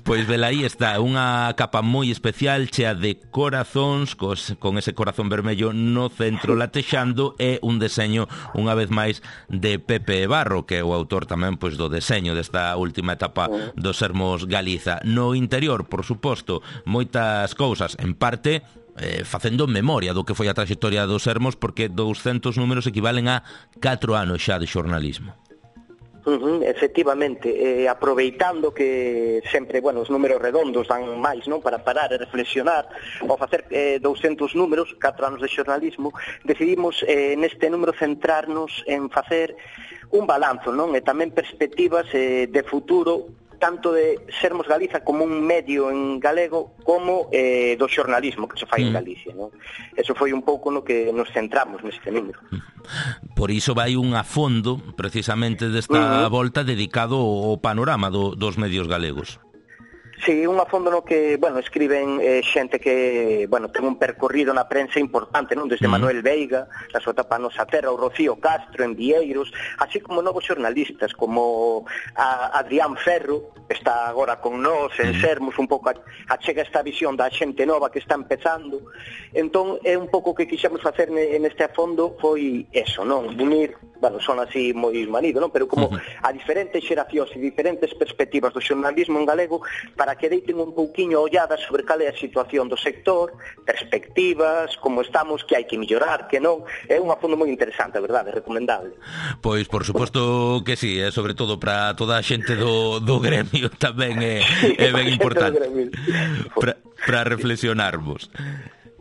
Pois velaí está, unha capa moi especial, chea de corazóns, con ese corazón vermello no centro latexando, e un deseño, unha vez máis, de Pepe Barro, que é o autor tamén pois do deseño desta última etapa dos Sermos Galiza. No interior, por suposto, moitas cousas, en parte facendo memoria do que foi a trayectoria dos Sermos, porque 200 números equivalen a 4 anos xa de xornalismo. Efectivamente, aproveitando que sempre, os números redondos dan máis, non, para parar e reflexionar. Ao facer 200 números, 4 anos de xornalismo, decidimos neste número centrarnos en facer un balanzo, non, e tamén perspectivas de futuro, tanto de Sermos Galiza como un medio en galego, como do xornalismo que se fai en Galicia, non? Eso foi un pouco no que nos centramos neste número. Por iso vai un a fondo, precisamente, desta volta dedicado ao panorama dos medios galegos. Sí, un a fondo no que, escriben xente que, ten un percorrido na prensa importante, non? Desde Manuel Veiga, na súa etapa Nosa Terra, o Rocío Castro en Vieiros, así como novos xornalistas, como a Adrián Ferro, que está agora con nós en Sermos, un pouco achega esta visión da xente nova que está empezando. Entón, é un pouco que quixemos facer neste a fondo foi eso, non? Unir, son así moi manido, non? Pero como a diferentes xeracións e diferentes perspectivas do xornalismo en galego, para que deiten un pouquiño olladas sobre cal é a situación do sector, perspectivas, como estamos, que hai que mellorar, que non. É un fondo moi interesante, a verdade, recomendable. Pois, por suposto que sí, sobre todo para toda a xente do gremio tamén é ben importante para reflexionarvos.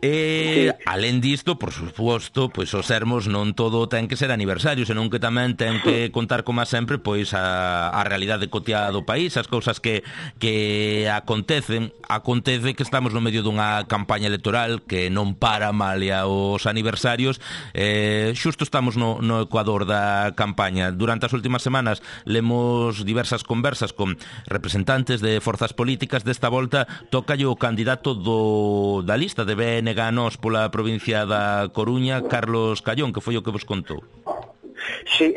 E, alén disto, por suposto, pois os sermos non todo ten que ser aniversario, senón que tamén ten que contar, como sempre, pois a realidade cotiá do país, as cousas que acontece que estamos no medio dunha campaña electoral que non para malia os aniversarios. Xusto estamos no ecuador da campaña. Durante as últimas semanas lemos diversas conversas con representantes de forzas políticas. Desta volta tócalle o candidato da lista de BNG Nos pola provincia da Coruña, Carlos Callón, que foi o que vos contou. Sí,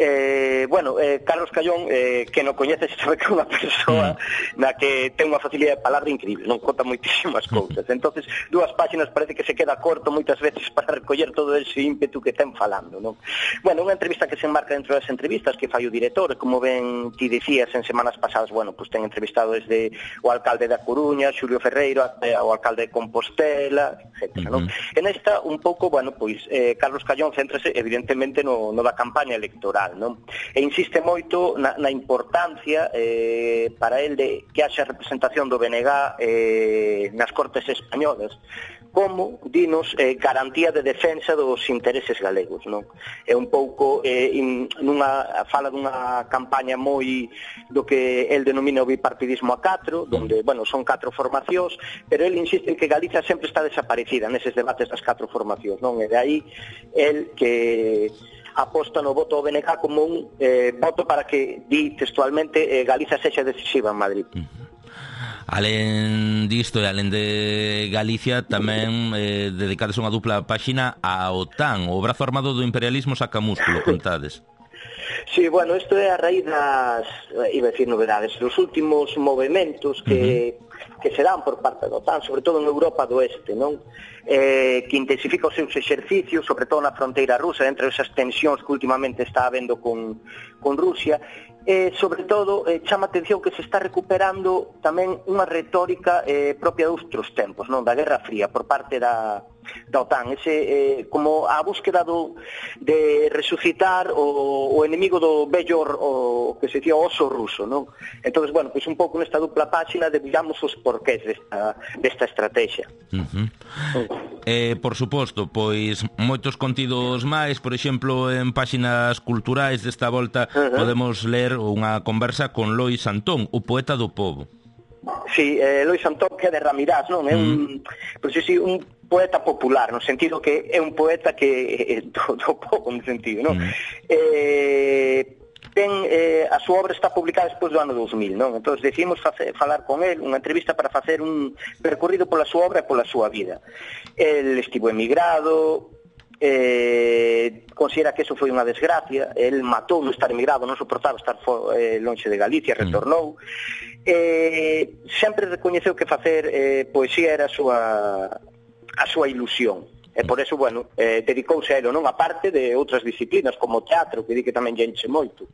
Carlos Callón, que non coñece, sabe que é unha persoa na que ten unha facilidade de palabra increíble, non conta moitísimas cousas. Entonces, 2 páxinas parece que se queda corto moitas veces para recoller todo ese ímpetu que ten falando, non? Bueno, unha entrevista que se enmarca dentro das entrevistas que fai o director, como ben ti dicías en semanas pasadas, pues ten entrevistado desde o alcalde da Coruña, Xulio Ferreiro, o alcalde de Compostela, etc. Non? En esta, un pouco, Carlos Callón céntrase evidentemente no da campaña electoral, non? E insiste moito na importancia para el de que haxa representación do BNG nas Cortes españolas como, dinos, garantía de defensa dos intereses galegos, non? É un pouco fala dunha campaña moi do que el denomina o bipartidismo a 4, donde, son 4 formacións, pero el insiste en que Galicia sempre está desaparecida neses debates das 4 formacións, non? E de aí el que aposta no voto ao BNG como un voto para que, di textualmente, Galicia sexa decisiva en Madrid. Alén disto e alén de Galicia, tamén dedicades unha dupla páxina á OTAN, o brazo armado do imperialismo saca músculo, contades. Sí, isto é a raíz das, iba a decir novedades, dos últimos movimentos que se dan por parte da OTAN, sobre todo en Europa do Oeste, non? Que intensifica os seus exercicios, sobre todo na fronteira rusa, entre esas tensións que últimamente está habendo con Rusia. Sobre todo, chama a atención que se está recuperando tamén unha retórica propia de outros tempos, non? Da Guerra Fría, por parte da OTAN, como a búsqueda de resucitar o enemigo do vello, o que se dicía oso ruso, non? Entón, un pouco nesta dupla páxina debillamos os porqués desta estrategia. Por suposto, pois moitos contidos máis, por exemplo, en páxinas culturais desta volta podemos ler unha conversa con Lois Antón, o poeta do pobo. Sí, Lois Antón, que é de Ramirás, non? É un poeta popular, no sentido que é un poeta que do pobo, no sentido, non? A súa obra está publicada despois do ano 2000, non? Entón decidimos falar con el, unha entrevista para facer un percorrido pola súa obra e pola súa vida. El estivo emigrado, considera que eso foi unha desgracia, el matou no estar emigrado, non soportaba estar lonxe de Galicia, retornou, sempre recoñeceu que facer poesía era a súa ilusión. E por eso, dedicouse a elo, non? A parte de outras disciplinas, como o teatro, que di que tamén lle enche moito.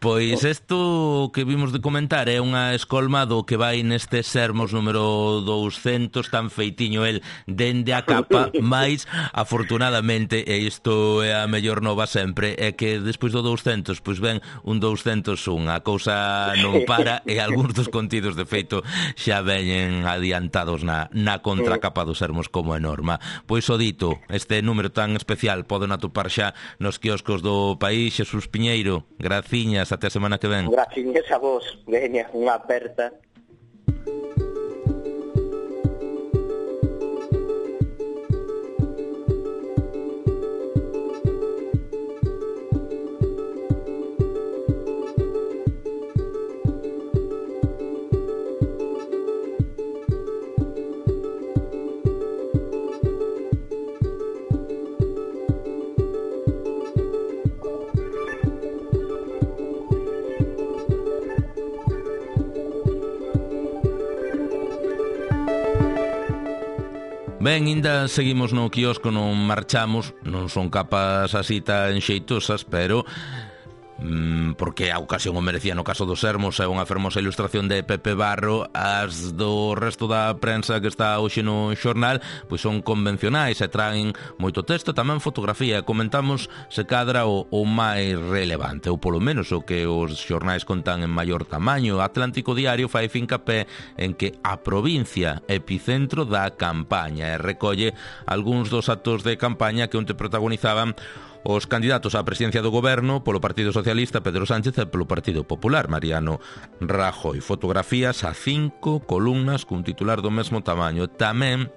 Pois isto que vimos de comentar é unha escolma do que vai neste Sermos número 200, tan feitiño el dende a capa, mais afortunadamente, e isto é a mellor nova sempre, é que despois do 200, pois ven un 201, a cousa non para e algúns dos contidos de feito xa veñen adiantados na contracapa do Sermos como é norma. Pois o dito, este número tan especial poden atopar xa nos quioscos do país. Xesús Piñeiro, gracias. Até a semana que ven. Gracias a vos, veña, unha aperta. Ben, ainda seguimos no quiosco, non marchamos, non son capas así tan xeitosas, pero porque a ocasión o merecía no caso dos Sermos, é unha fermosa ilustración de Pepe Barro. As do resto da prensa que está hoxe no xornal pois son convencionais e traen moito texto, tamén fotografía. Comentamos se cadra o máis relevante, ou polo menos o que os xornais contan en maior tamaño. Atlántico Diario fai fincapé en que a provincia epicentro da campaña e recolle algúns dos actos de campaña que onte protagonizaban os candidatos á presidencia do goberno polo Partido Socialista, Pedro Sánchez, e polo Partido Popular, Mariano Rajoy. Fotografías a 5 columnas cun titular do mesmo tamaño. Tamén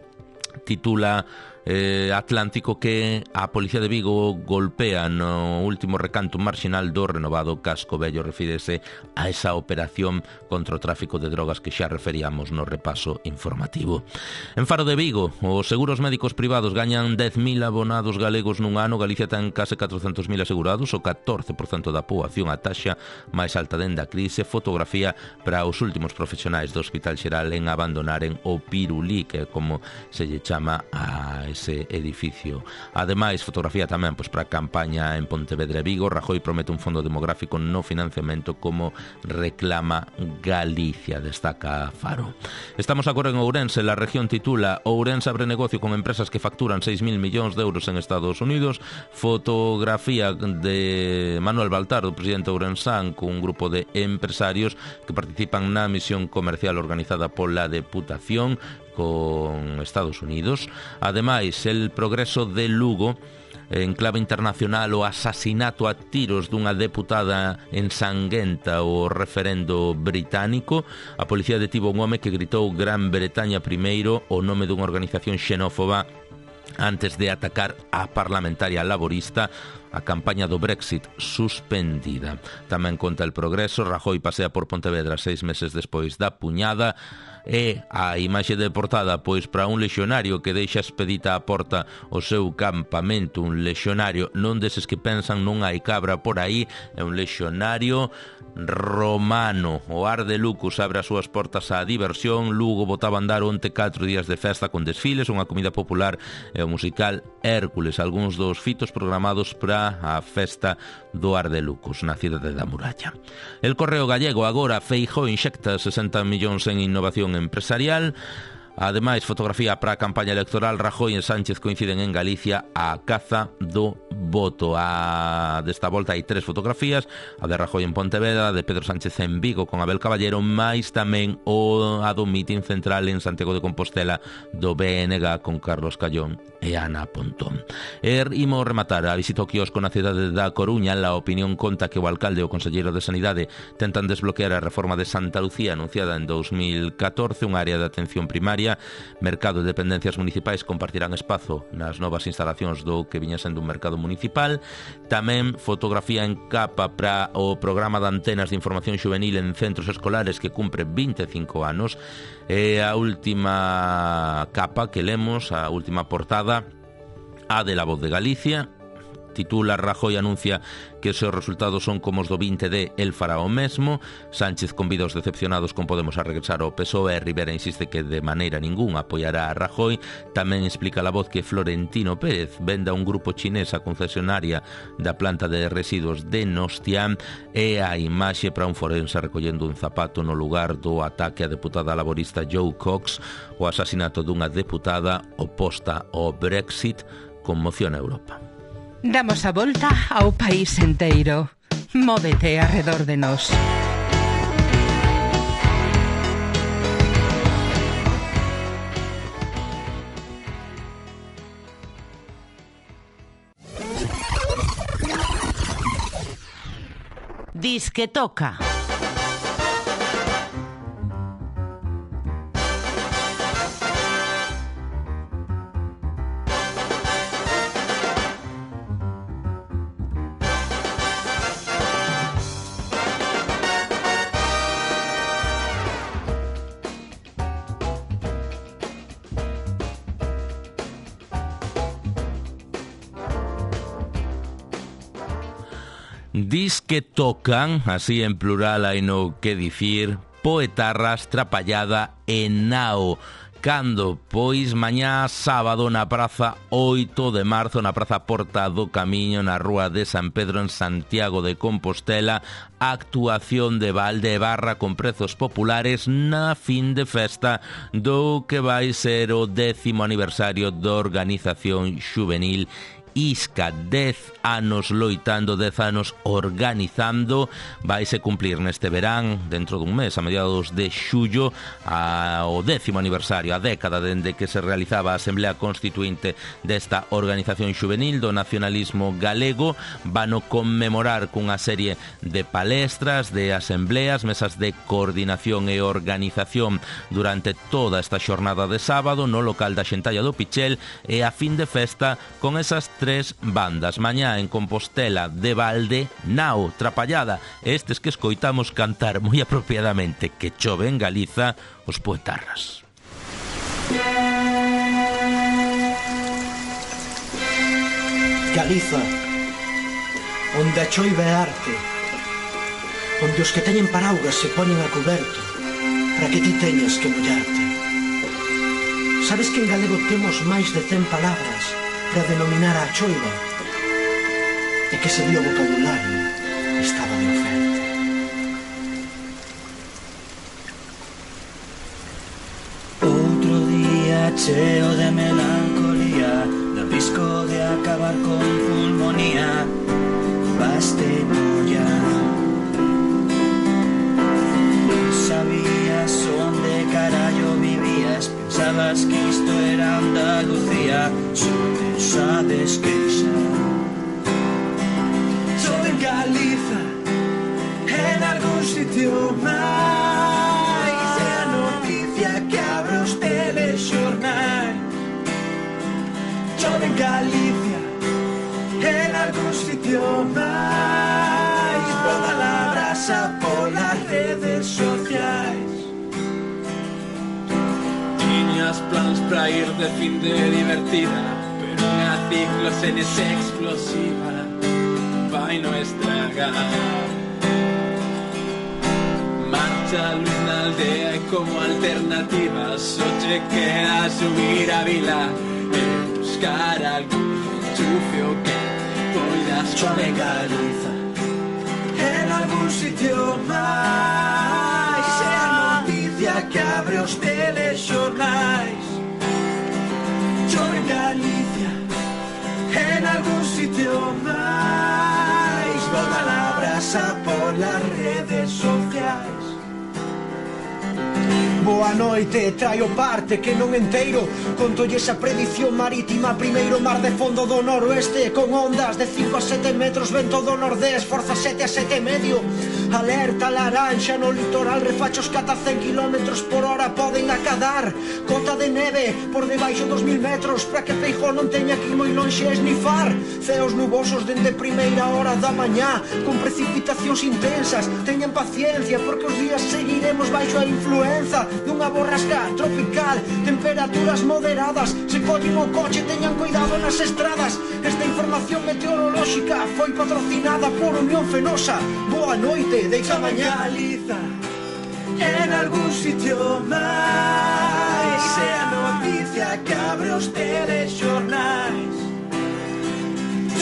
titula Atlántico que a Policía de Vigo golpea no último recanto marxinal do renovado Casco Vello. Refírese a esa operación contra o tráfico de drogas que xa referíamos no repaso informativo. En Faro de Vigo, os seguros médicos privados gañan 10.000 abonados galegos nun ano. Galicia ten case 400.000 asegurados, o 14% da poboación, a taxa máis alta dende a crise. Fotografía para os últimos profesionais do Hospital Xeral en abandonaren o Pirulí, que é como se lle chama a ese edificio. Ademais, fotografía tamén pois para a campaña en Pontevedra e Vigo. Rajoy promete un fondo demográfico no financiamento como reclama Galicia, destaca Faro. Estamos agora en Ourense. La región titula Ourense abre negocio con empresas que facturan 6.000 millóns de euros en Estados Unidos. Fotografía de Manuel Baltar, o presidente ourensán, con un grupo de empresarios que participan na misión comercial organizada pola Deputación con Estados Unidos. Ademais, el progreso de Lugo, en clave internacional, o asasinato a tiros dunha deputada en Sanguenta, o referendo británico. A policía detivo un home que gritou Gran Bretaña primeiro, o nome dunha organización xenófoba, antes de atacar a parlamentaria laborista. A campaña do Brexit suspendida. Tamén conta el progreso. Rajoy pasea por Pontevedra 6 meses despois da puñada. E a imaxe de portada pois para un lexionario que deixa expedita a porta o seu campamento. Un lexionario non deses que pensan non hai cabra por aí, é un lexionario romano. O Ar de Lucus abre as súas portas á diversión. Lugo botaba a andar onte 4 días de festa con desfiles, unha comida popular e o musical Hércules, algúns dos fitos programados para a festa do Ar de Lucus na cidade da Muralla. El Correo Gallego agora, Feijóo inxecta 60 millóns en innovación empresarial. Ademais, fotografía para a campaña electoral. Rajoy e Sánchez coinciden en Galicia a caza do voto. Desta volta hai 3 fotografías: a de Rajoy en Pontevedra, a de Pedro Sánchez en Vigo con Abel Caballero, máis tamén a do mitin central en Santiago de Compostela do BNG con Carlos Callón e Ana Pontón. Imos rematar a visita ao quiosco na cidade da Coruña. La Opinión conta que o alcalde e o conselleiro de Sanidade tentan desbloquear a reforma de Santa Lucía anunciada en 2014, un área de atención primaria. Mercado e dependencias municipais compartirán espazo nas novas instalacións do que viña sendo un mercado municipal. Tamén fotografía en capa para o programa de antenas de información juvenil en centros escolares que cumpre 25 anos. E a última capa que lemos, a última portada, a de La Voz de Galicia. Titula Rajoy anuncia que os seus resultados son como os do 20D, el fará o mesmo. Sánchez convida os decepcionados con Podemos a regresar ao PSOE. Rivera insiste que de maneira ninguna apoiará a Rajoy. Tamén explica La Voz que Florentino Pérez venda un grupo chinés a concesionaria da planta de residuos de Nostián. E a imaxe para un forense recollendo un zapato no lugar do ataque á deputada laborista Joe Cox. O asasinato dunha deputada oposta ao Brexit conmociona a Europa. Damos a volta ao país enteiro. Móvete arredor de nós. Disque toca. Dis que tocan, así en plural hai no que dicir, poetarras, Trapallada e Nao. Cando? Pois mañá sábado na Praza 8 de Marzo, na Praza Porta do Camiño, na Rúa de San Pedro, en Santiago de Compostela, actuación de Valdebarra con prezos populares na fin de festa do que vai ser o 10º aniversario da organización xuvenil Isca. 10 anos loitando, 10 anos organizando. Vaise cumplir neste verán, dentro dun mes, a mediados de xullo, o 10º aniversario, a década dende que se realizaba a Asamblea Constituinte desta organización xuvenil do nacionalismo galego. Vano conmemorar cunha serie de palestras, de asambleas, mesas de coordinación e organización durante toda esta xornada de sábado no local da Xentalla do Pichel, e a fin de festa con esas 3 bandas. Mañá en Compostela de Valde, Nao, Trapallada, estes que escoitamos cantar moi apropiadamente Que chove en Galiza, os Poetarras. Galiza, onde a choiva é arte, onde os que teñen paraugas se poñen a coberto para que ti teñas que mollarte. Sabes que en galego temos máis de 100 palabras para denominar a choiva, e que se dio o vocabulario estaba de oferta. Outro día cheo de melancolía, de risco de acabar con pulmonía, baste olla. Non sabías onde carallo vivías, pensabas que isto era Andalucía, só te sabes queixar. Chove en Galiza, en algún sitio máis, é a noticia que abre os telexornais. Chove en Galicia, en algún sitio máis, toda la brasa polas redes sociais. Tiñas plans pra ir de fin de divertida, pero unha ciclosenes explosiva vai no estragar. Marcha luz na aldea e como alternativa só che queda subir a vila e buscar algún enchufio que poidas. Chove en Galiza, en algún sitio máis, é a noticia que abre os telexornais. Chove en Galicia, en algún sitio máis, volta la brasa por las redes sociais. Boa noite, traio parte que non enteiro. Contolle esa predición marítima. Primeiro mar de fondo do noroeste, con ondas de 5 a 7 metros, vento do nordés, forza 7 a 7 e medio. Alerta laranxa no litoral, refachos que ata 100 km por hora poden acadar. Cota de neve por debaixo dos 1000 metros, para que Feijóo non teña que ir moi lonxe a esnifar. Ceos nubosos dende primeira hora da mañá, con precipitacións intensas. Teñan paciencia, porque os días seguiremos baixo a influenza dunha borrasca tropical. Temperaturas moderadas, se collen o coche teñan cuidado nas estradas. Esta información meteorolóxica foi patrocinada por Unión Fenosa. Boa noite, deixa mañá. Galiza, en algún sitio máis, é a noticia que abre os telexornais.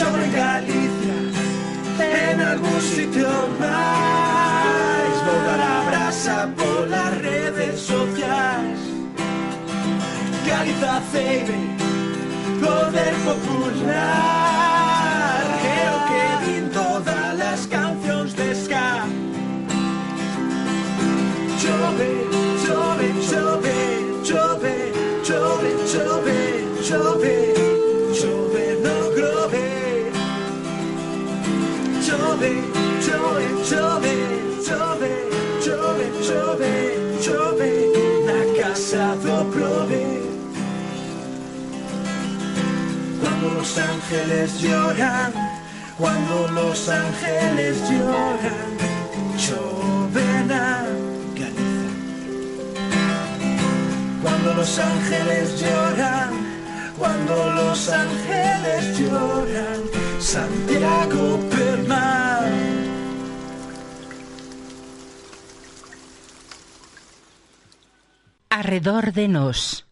Chove en Galicia, en algún sitio máis, volta a brasa polas redes sociais. Galiza ceibe, poder popular, é o que din todas as cancións de ska. Chove, chove, chove, chove, chove, chove, chove, chove no grove. Chove, chove, chove, chove, chove, chove, chove na casa do prove. Cuando los ángeles lloran, cuando los ángeles lloran, chove na Galiza. Cuando los ángeles lloran, cuando los ángeles lloran, Santiago Permal. Arredor de nós.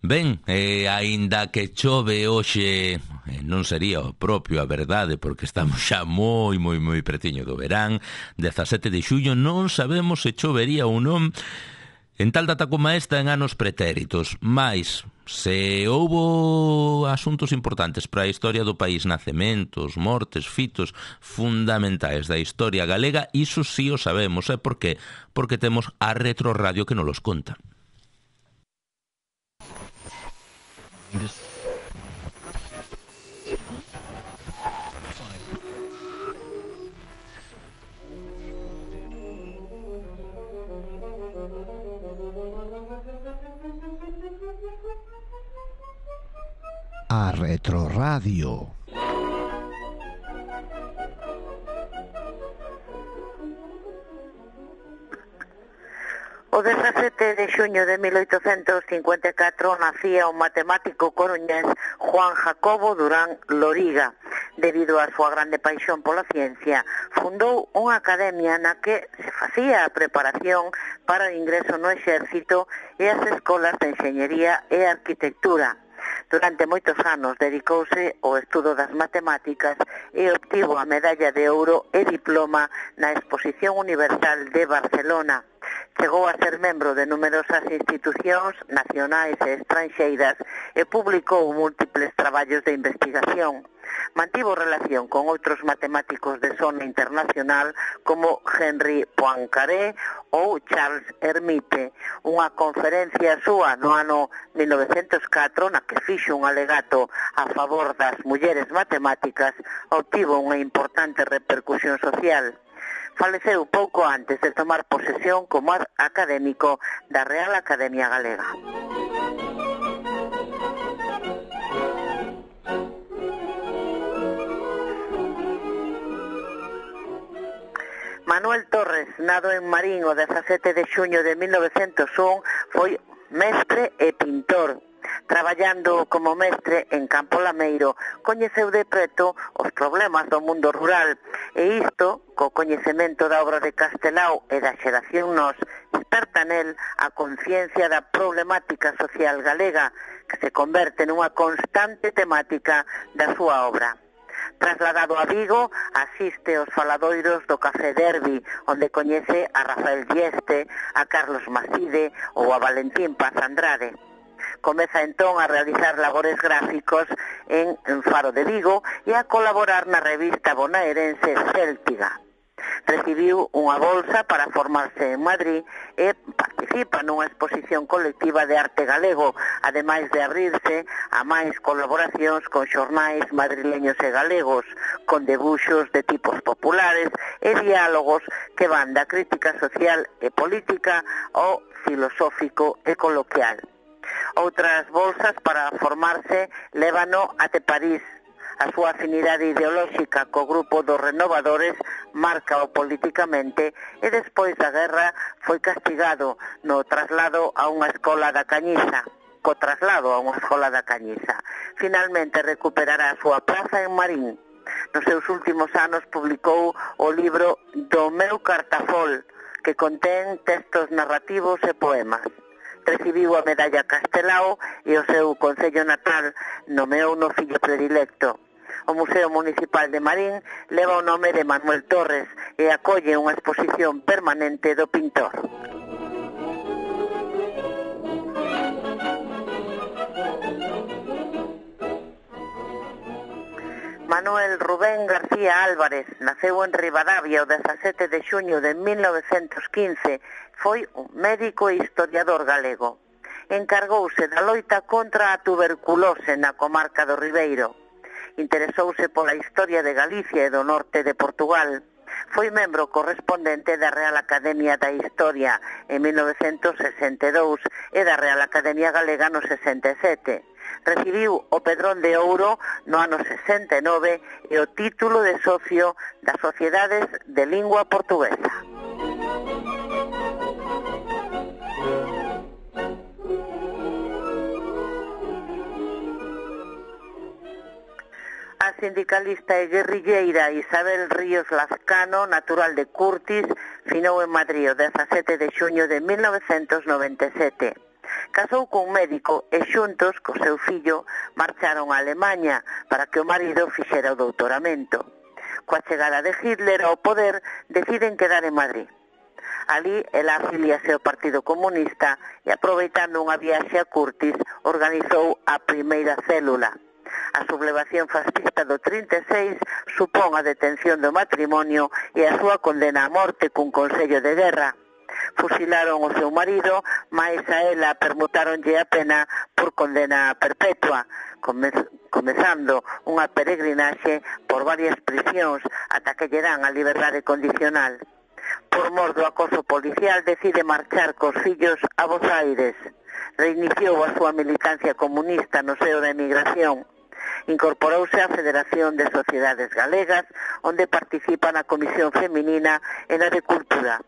Ben, aínda que chove hoxe, non sería o propio a verdade, porque estamos xa moi pretiño do verán, 17 de xullo, non sabemos se chovería ou non en tal data como esta en anos pretéritos, mais se houbo asuntos importantes para a historia do país, nacementos, mortes, fitos fundamentais da historia galega, iso sí o sabemos, e por qué? Porque temos a Retroradio que nos los conta. A Retroradio. O 17 de xuño de 1854 nacía o matemático coruñés Juan Jacobo Durán Loriga. Debido á súa grande paixón pola ciencia, fundou unha academia na que se facía a preparación para o ingreso no exército e as escolas de enxeñería e arquitectura. Durante moitos anos dedicouse ao estudo das matemáticas e obtivo a medalla de ouro e diploma na Exposición Universal de Barcelona. Chegou a ser membro de numerosas institucións nacionais e estranxeiras e publicou múltiples traballos de investigación. Mantivo relación con outros matemáticos de sona internacional como Henri Poincaré ou Charles Hermite. Unha conferencia súa no ano 1904 na que fixo un alegato a favor das mulleres matemáticas obtivo unha importante repercusión social. Faleceu pouco antes de tomar posesión como académico da Real Academia Galega. Manuel Torres, nado en Marín o 17 de xuño de 1901, foi mestre e pintor. Traballando como mestre en Campo Lameiro, coñeceu de preto os problemas do mundo rural e isto, co coñecemento da obra de Castelao e da xeración Nós, desperta nel a conciencia da problemática social galega que se converte nunha constante temática da súa obra. Trasladado a Vigo, asiste aos faladoiros do Café Derbi, onde coñece a Rafael Dieste, a Carlos Maside ou a Valentín Paz Andrade. Comeza entón a realizar labores gráficos en Faro de Vigo e a colaborar na revista bonaerense Céltiga. Recibiu unha bolsa para formarse en Madrid e participa nunha exposición colectiva de arte galego, ademais de abrirse a máis colaboracións con xornais madrileños e galegos, con debuxos de tipos populares e diálogos que van da crítica social e política ao filosófico e coloquial. Outras bolsas para formarse lévano até París. A súa afinidade ideolóxica co grupo dos renovadores marca o políticamente e despois da guerra foi castigado no traslado a unha escola da Cañiza. Finalmente recuperará a súa praza en Marín. Nos seus últimos anos publicou o libro Do meu cartafol, que contén textos narrativos e poemas. Recibiu a medalla Castelao e o seu concello natal nomeou no fillo predilecto. O Museo Municipal de Marín leva o nome de Manuel Torres e acolle unha exposición permanente do pintor. Manuel Rubén García Álvarez naceu en Ribadavia o 17 de xuño de 1915. Foi un médico e historiador galego. Encargouse da loita contra a tuberculose na comarca do Ribeiro. Interesouse pola historia de Galicia e do norte de Portugal. Foi membro correspondente da Real Academia da Historia en 1962 e da Real Academia Galega no 67. Recibiu o Pedrón de Ouro no ano 69 e o título de socio das Sociedades de Lingua Portuguesa. A sindicalista e guerrilleira Isabel Ríos Lazcano, natural de Curtis, finou en Madrid o 17 de xuño de 1997. Casou cun médico e xuntos, co seu fillo, marcharon a Alemanha para que o marido fixera o doutoramento. Coa chegada de Hitler ao poder, deciden quedar en Madrid. Ali, ela afiliase ao Partido Comunista e, aproveitando unha viaxe a Curtis, organizou a primeira célula. A sublevación fascista do 36 supón a detención do matrimonio e a súa condena a morte cun consello de guerra. Fusilaron o seu marido, mais a ela permutáronlle a pena por condena perpetua, comezando unha peregrinaxe por varias prisións ata que lle dan a liberdade condicional. Por mor do acoso policial decide marchar cos fillos a Buenos Aires. Reiniciou a súa militancia comunista no seo da emigración. Incorporouse á Federación de Sociedades Galegas, onde participa na Comisión Feminina e na de Cultura.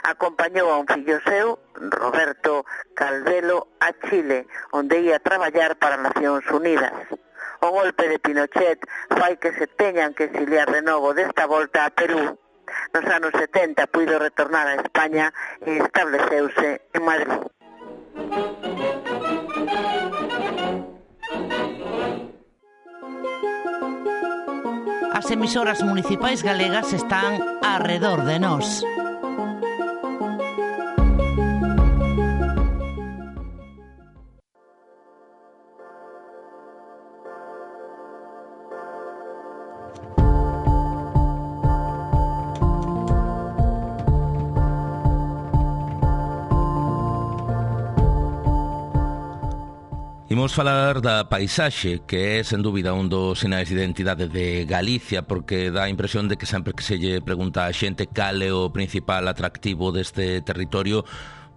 Acompañou a un fillo seu, Roberto Calvelo, a Chile, onde ia traballar para Nacións Unidas. O golpe de Pinochet fai que se teñan que exiliar de novo desta volta a Perú. Nos anos 70 puido retornar a España e estableceuse en Madrid. As emisoras municipais galegas están arredor de nós. Imos falar da paisaxe, que é, sen dúbida, un dos sinais de identidade de Galicia, porque dá a impresión de que sempre que se lle pregunta a xente cal é o principal atractivo deste territorio,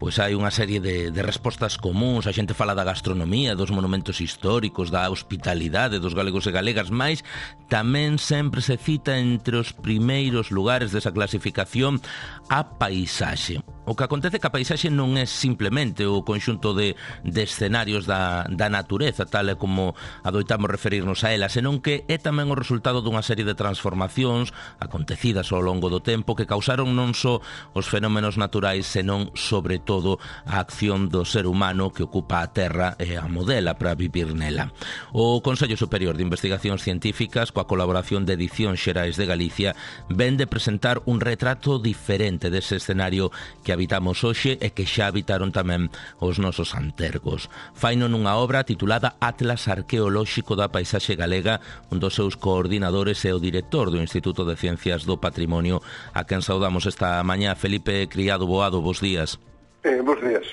pois hai unha serie de respostas comuns. A xente fala da gastronomía, dos monumentos históricos, da hospitalidade dos galegos e galegas, mais tamén sempre se cita entre os primeiros lugares desa clasificación a paisaxe. O que acontece que a paisaxe non é simplemente o conxunto de escenarios da natureza, tal e como adoitamos referirnos a ela, senón que é tamén o resultado dunha serie de transformacións acontecidas ao longo do tempo que causaron non só os fenómenos naturais, senón, sobre todo, a acción do ser humano que ocupa a terra e a modela para vivir nela. O Consello Superior de Investigacións Científicas, coa colaboración de Edicións Xerais de Galicia, ven de presentar un retrato diferente dese escenario que habitamos hoxe e que xa habitaron tamén os nosos antergos. Faino nunha obra titulada Atlas Arqueolóxico da Paisaxe Galega, un dos seus coordinadores é o director do Instituto de Ciencias do Patrimonio, a quen saudamos esta mañá. Felipe Criado Boado, bos días. Bos días.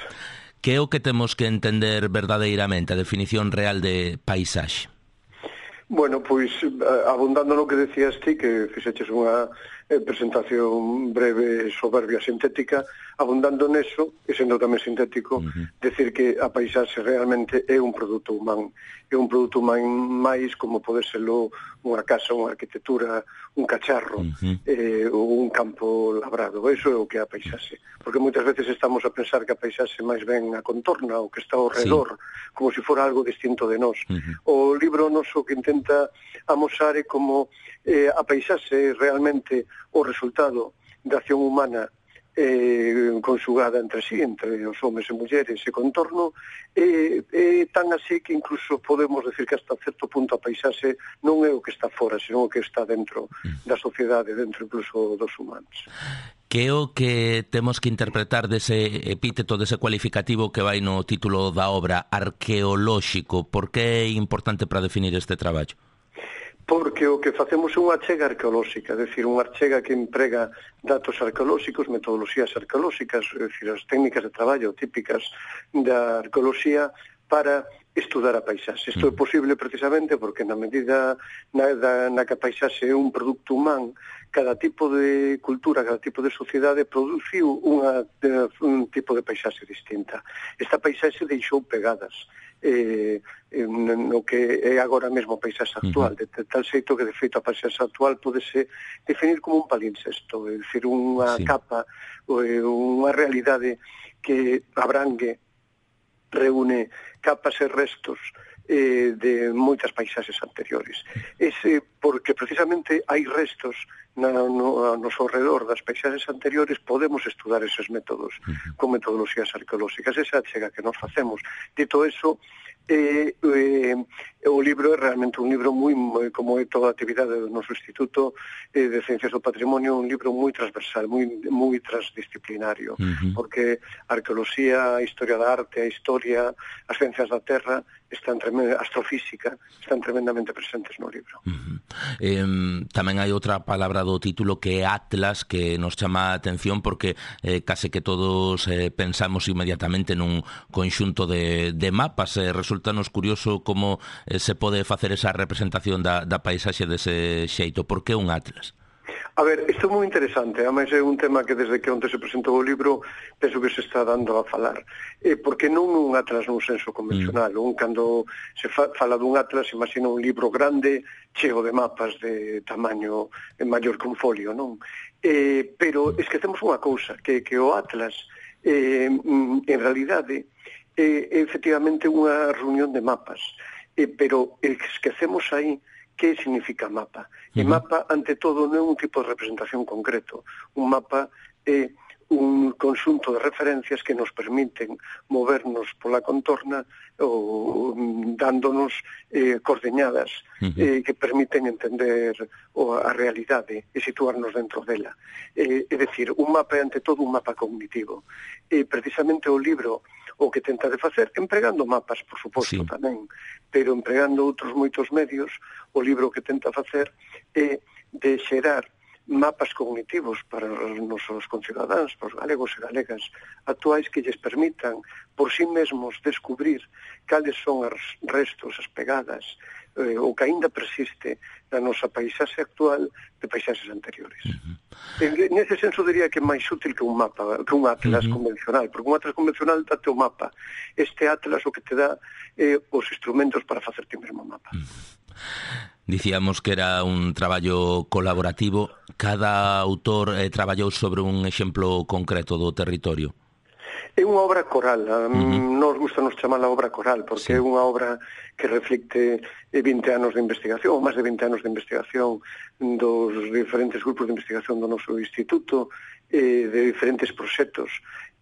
Que é o que temos que entender verdadeiramente, a definición real de paisaxe? Bueno, pois, abundando no que decías ti, que fixeches unha presentación breve, soberbia, sintética, abundando neso, e sendo tamén sintético, decir que a paisaxe realmente é un produto humano. É un produto humano máis como pode serlo unha casa, unha arquitectura, un cacharro, ou un campo labrado. Eso é o que é a paisaxe. Porque moitas veces estamos a pensar que a paisaxe máis ben a contorna, o que está ao redor, como se fora algo distinto de nós. O libro noso que intenta amosar é como a paisaxe realmente o resultado da acción humana conxugada entre sí, entre os homes e mulleres e contorno, tan así que incluso podemos decir que hasta certo punto a paisaxe non é o que está fora, senón o que está dentro da sociedade, dentro incluso dos humanos. Que é o que temos que interpretar dese epíteto, dese cualificativo que vai no título da obra, arqueolóxico? Por que é importante para definir este traballo? Porque o que facemos é unha achega arqueolóxica, é dicir, unha achega que emprega datos arqueolóxicos, metodoloxías arqueolóxicas, é dicir, as técnicas de traballo típicas da arqueoloxía para estudar a paisaxe. Isto é posible precisamente porque na medida na que a paisaxe é un produto humano, cada tipo de cultura, cada tipo de sociedade produciu un tipo de paisaxe distinta. Esta paisaxe deixou pegadas no que é agora mesmo a paisaxe actual, de tal xeito que de feito a paisaxe actual podese definir como un palincesto, é dicir, unha capa, unha realidade que abrangue, reúne capas e restos de moitas paisaxes anteriores. Porque precisamente hai restos no noso redor das paisaxes anteriores, podemos estudar eses métodos con metodoloxías arqueolóxicas. Esa chega que nos facemos. Dito eso, o libro é realmente un libro moi, como é toda a actividade do noso Instituto de Ciencias do Patrimonio, un libro moi transversal, moi transdisciplinario, porque a arqueoloxía, a historia da arte, a historia, as ciencias da terra, a astrofísica, están tremendamente presentes no libro. Tamén hai outra palabra do título que é Atlas, que nos chama a atención porque case que todos pensamos inmediatamente nun conxunto de mapas. Resultanos curioso como se pode facer esa representación da paisaxe dese xeito. Por que un atlas? A ver, isto é moi interesante, ademais é un tema que desde que onte se presentou o libro penso que se está dando a falar, porque non un atlas nun senso convencional, cando se fala dun atlas imagina un libro grande cheo de mapas de tamaño maior que un folio, non? Pero esquecemos unha cousa, que o atlas en realidade é efectivamente unha reunión de mapas, pero esquecemos aí que significa mapa. E mapa, ante todo, non é un tipo de representación concreto. Un mapa é un conxunto de referencias que nos permiten movernos pola contorna ou dándonos coordeñadas que permiten entender a realidade e situarnos dentro dela. É dicir, un mapa é ante todo un mapa cognitivo. E precisamente o libro o que tenta de facer, empregando mapas, por suposto, tamén, pero empregando outros moitos medios, o libro que tenta facer é de xerar mapas cognitivos para os nosos concidadáns, para os galegos e galegas actuais, que lles permitan por sí mesmos descubrir cales son os restos, as pegadas, o que aínda persiste na nosa paisaxe actual de paisaxes anteriores. Nese senso diría que é máis útil que un mapa, que un atlas convencional, porque un atlas convencional date o mapa. Este atlas o que te dá os instrumentos para facer ti mesmo mapa. Dicíamos que era un traballo colaborativo. Cada autor traballou sobre un exemplo concreto do territorio. É unha obra coral, nos gusta nos chamar a obra coral, porque é unha obra que reflicte 20 anos de investigación, ou máis de 20 anos de investigación dos diferentes grupos de investigación do noso instituto, de diferentes proxectos,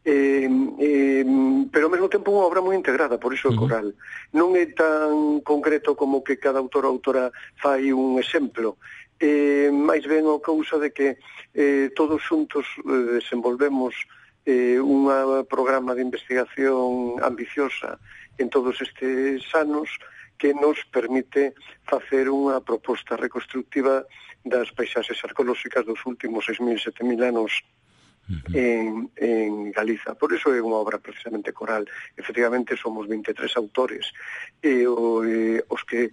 pero ao mesmo tempo unha obra moi integrada, por iso é coral. Non é tan concreto como que cada autor ou autora fai un exemplo, máis ben a causa de que todos xuntos desenvolvemos un programa de investigación ambiciosa en todos estes anos que nos permite facer unha proposta reconstructiva das paisaxes arqueolóxicas dos últimos 6.000, 7.000 anos en Galiza. Por iso é unha obra precisamente coral. Efectivamente, somos 23 autores os que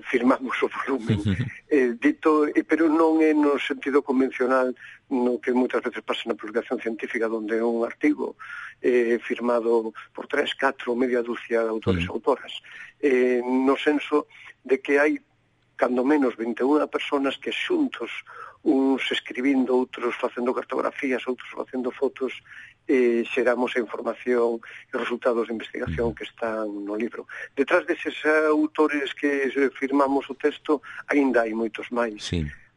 firmamos o volumen. Pero non é no sentido convencional no que moitas veces pasa na publicación científica, onde é un artigo firmado por 3, 4, media dúcia de autores e autoras. No senso de que hai cando menos 21 personas que xuntos, uns escribindo, outros facendo cartografías, outros facendo fotos, xeramos a información e os resultados de investigación que están no libro. Detrás deses autores que firmamos o texto, aínda hai moitos máis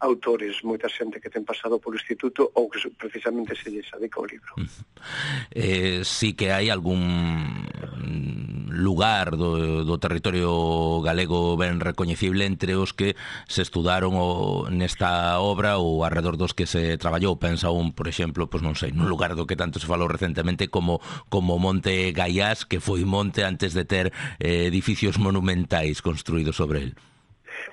autores, moita xente que ten pasado polo instituto ou que precisamente se lles dedica ao libro. Sí que hai algún lugar do territorio galego ben recoñecible entre os que se estudaron nesta obra ou alrededor dos que se traballou. Pensa por exemplo, pois non sei, nun lugar do que tanto se falou recentemente como Monte Gaiás, que foi monte antes de ter edificios monumentais construídos sobre el.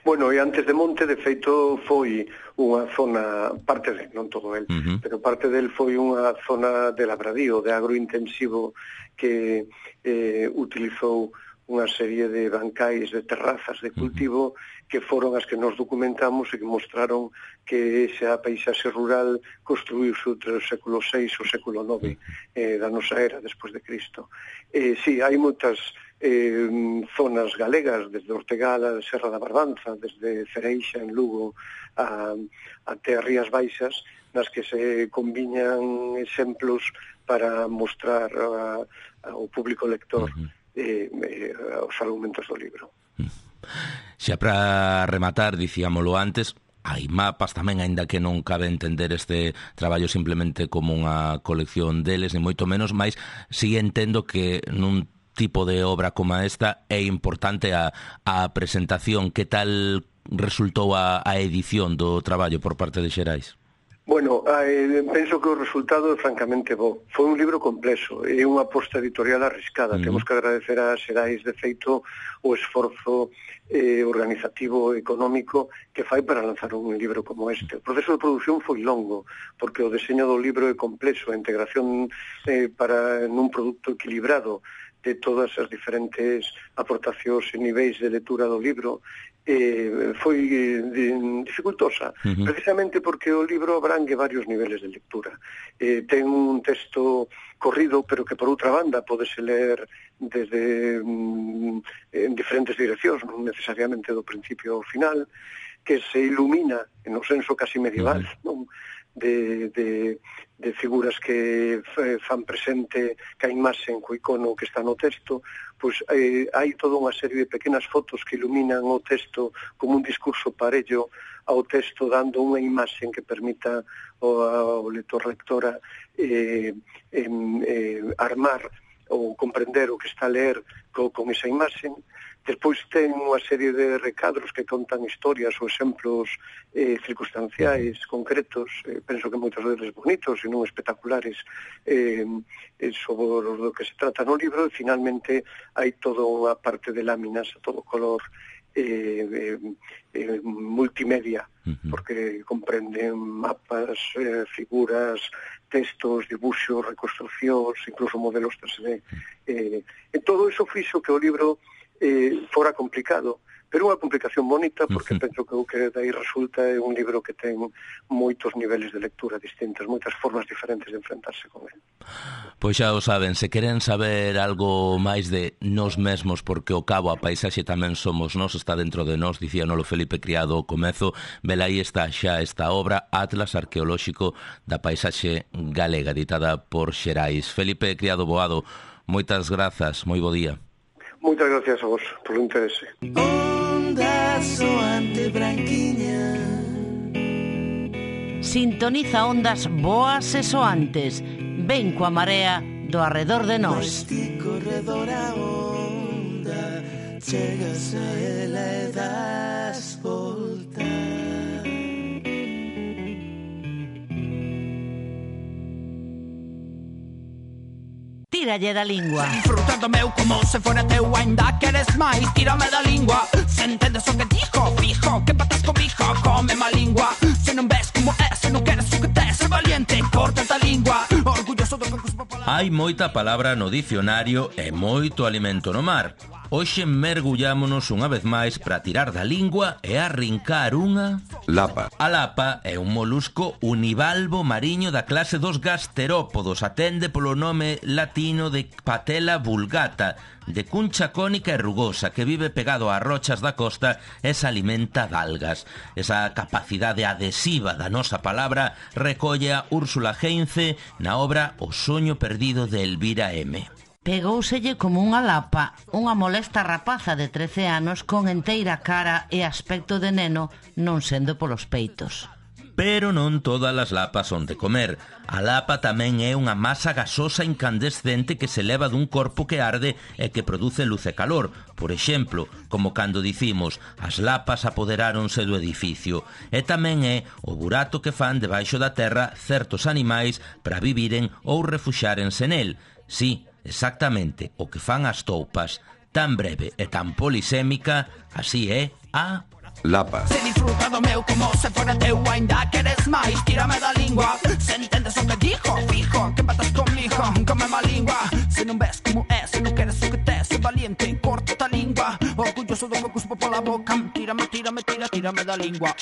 Bueno, e antes de monte, de feito, foi unha zona, parte de, non todo el, pero parte del foi unha zona de labradío, de agrointensivo, que utilizou unha serie de bancais, de terrazas de cultivo, que foron as que nos documentamos e que mostraron que esa paisaxe rural construíuse entre o século VI ou o século IX da nosa era, despois de Cristo. Sí, hai moitas zonas galegas, desde Ortegal a Serra da Barbanza, desde Cereixa en Lugo até as Rías Baixas, nas que se combiñan exemplos para mostrar ao público lector os argumentos do libro. Xa para rematar, dicíamolo antes, hai mapas tamén, aínda que non cabe entender este traballo simplemente como unha colección deles, ni moito menos, mas si entendo que nun tipo de obra como esta é importante a presentación. Que tal resultou a edición do traballo por parte de Xerais? Bueno, penso que o resultado é francamente bo. Foi un libro complexo, é unha aposta editorial arriscada. Temos que agradecer a Xerais, de feito, o esforzo organizativo e económico que fai para lanzar un libro como este. O proceso de produción foi longo, porque o deseño do libro é complexo, a integración para nun produto equilibrado de todas as diferentes aportacións e niveis de lectura do libro foi dificultosa, precisamente porque o libro abrangue varios niveles de lectura. Ten un texto corrido, pero que por outra banda podese ler desde en diferentes direccións, non necesariamente do principio ao final, que se ilumina en o senso casi medieval, non? De figuras que fan presente que a imaxen co icono que está no texto, pois hai toda unha serie de pequenas fotos que iluminan o texto como un discurso parello ao texto, dando unha imaxen que permita ao lector-lectora armar ou comprender o que está a ler con esa imaxen. Despois ten unha serie de recadros que contan historias ou exemplos circunstanciais concretos, penso que moitos deles bonitos e non espectaculares, sobre o que se trata no libro. E finalmente hai toda unha parte de láminas a todo color multimedia, porque comprenden mapas, figuras, textos, dibuxos, reconstruccións, incluso modelos 3D. E todo iso fixo que o libro fora complicado, pero unha complicación bonita, porque penso que o que dai resulta é un libro que ten moitos niveles de lectura distintos, moitas formas diferentes de enfrentarse con ele. Pois xa o saben, se queren saber algo máis de nós mesmos, porque ao cabo a paisaxe tamén somos nós, está dentro de nós, dicía Nolo Felipe Criado ao comezo, velaí está xa esta obra, Atlas Arqueolóxico da Paisaxe Galega, editada por Xerais. Felipe Criado Boado, moitas grazas, moi bo día. Moitas gracias a vos polo interese. Onda soante branquiña. Sintoniza ondas boas e soantes. Ven coa marea do arredor de nós. Este corredor a onda, chegas a ela e das volta. Tíralle da lingua. Disfrutando meu como se fora teu, ainda queres máis, tírame da lingua. Se entendes o que dijo, fijo, que patas comigo, come má lingua. Se non ves como é, se non queres o que tes, é valiente, corta da lingua. Orgulloso do que cuspo palabra. Hai moita palabra no dicionario e moito alimento no mar. Hoxe mergullámonos unha vez máis para tirar da lingua e arrincar unha... lapa. A lapa é un molusco univalvo mariño da clase dos gasterópodos. Atende polo nome latino de Patella vulgata, de cuncha cónica e rugosa, que vive pegado ás rochas da costa e se alimenta de algas. Esa capacidade adhesiva da nosa palabra recolle a Úrsula Heinze na obra O soño perdido de Elvira M. Pegóuselle como unha lapa, unha molesta rapaza de 13 anos con enteira cara e aspecto de neno, non sendo polos peitos. Pero non todas as lapas son de comer. A lapa tamén é unha masa gasosa incandescente que se leva dun corpo que arde e que produce luz e calor. Por exemplo, como cando dicimos, as lapas apoderáronse do edificio. E tamén é o burato que fan debaixo da terra certos animais para viviren ou refuxárense nel. Sí, exactamente o que fan as toupas. Tan breve e tan polisémica, así é a... lapa. Se disfruta do meu como se fora teu, ainda queres máis, tírame da lingua. Se entendes o que dijo, fijo, que patas comigo, come má lingua. Se non ves como é, se non queres o que tes, é valiente, corta da lingua. Orgulloso do que cuspo pola boca, tírame da lingua.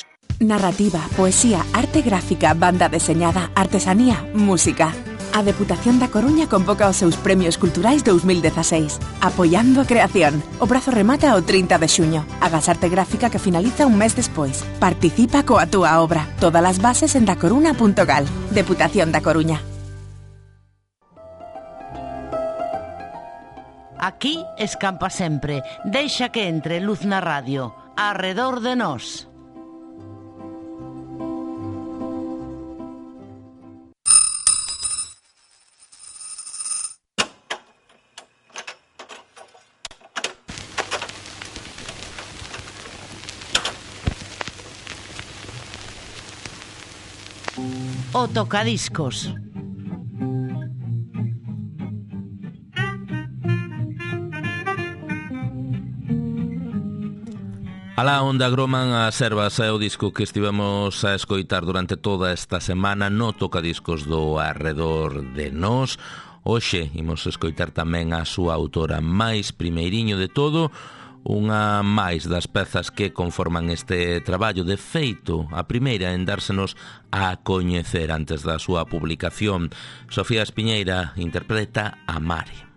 Narrativa, poesía, arte gráfica, banda deseñada, artesanía, música. A Deputación da Coruña convoca os seus premios culturais 2016. Apoiando a creación. O prazo remata o 30 de xuño. Agas arte gráfica que finaliza un mes despois. Participa coa túa obra. Todas as bases en dacoruna.gal. Deputación da Coruña. Aquí escampa sempre. Deixa que entre luz na radio. Arredor de nós. O tocadiscos. Alá onde agroman as ervas é o disco que estivemos a escoitar durante toda esta semana no tocadiscos do Arredor de Nós. Hoxe imos escoitar tamén a súa autora máis primeiriño de todo, unha máis das pezas que conforman este traballo. De feito, a primeira en dársenos a coñecer antes da súa publicación. Sofía Espiñeira interpreta a Mare.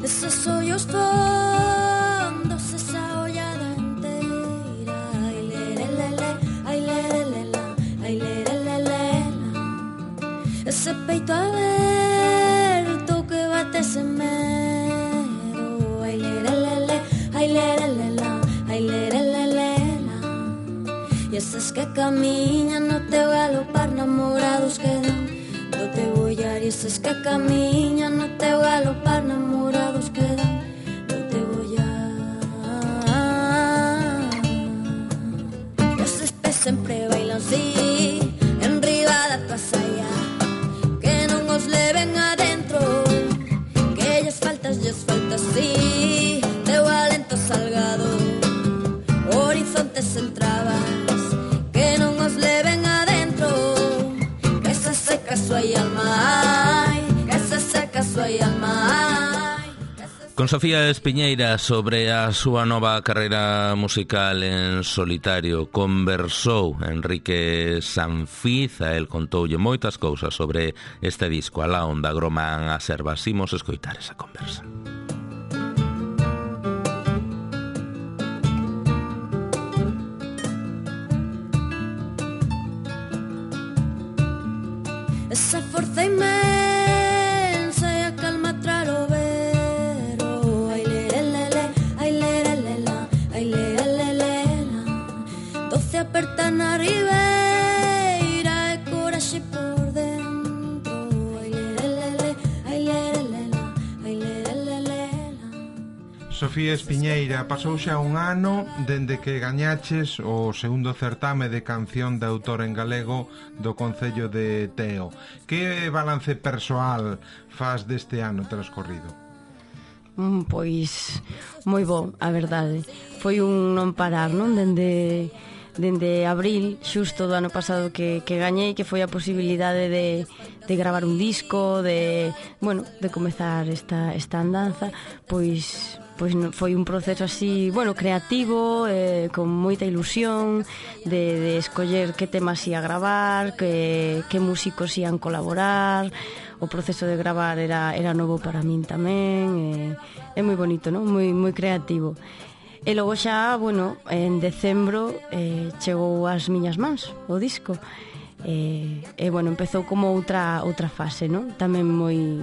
Esos hoyos fondos, esa hollada entera, ay lerelele, ay lerelele, ay lerelele, ese peito abierto que bate ese mero, ay lerelele, ay lerelele, ay lerelele, y esos que caminan no te galopar enamorados quedan. No te voy a ir, esos que caminan, no te voy a galopar, enamorados quedan, no te voy a... Esos pes sempre bailan así, en riba da casa ya, que non os leven adentro, que ellas faltas sí, teu alento salgado, horizontes entrabas, que non os leven adentro, que se seca súa alma, ay, que se seca súa alma, ay. Con Sofía Espiñeira sobre a súa nova carreira musical en solitario conversou Enrique Sanfiz, a el contoulle moitas cousas sobre este disco, Alá onde agroman as ervas. Imos escoitar esa conversa. Esa forza inmensa e a calma tralo vero, ai lerelele, ai lerelele, ai lerelele, doce aperta na ribeira e coraxe por dentro, ai lerelele, ai lerelele, ai lerelele. Sofía Espiñeira, pasou xa un ano dende que gañaches o segundo certame de canción de autor en galego do Concello de Teo. Que balance persoal faz deste ano transcorrido? Pois moi bo, a verdade. Foi un non parar, non? Dende abril, xusto do ano pasado que gañei, que foi a posibilidade de gravar un disco, de comezar esta andanza, pois foi un proceso así, creativo, con moita ilusión de escoller que temas ia gravar, que músicos ian colaborar. O proceso de gravar era novo para min tamén, é moi bonito, non? Moi creativo. E logo xa, en decembro chegou ás miñas mans o disco. Empezou como outra fase, non? Tamén moi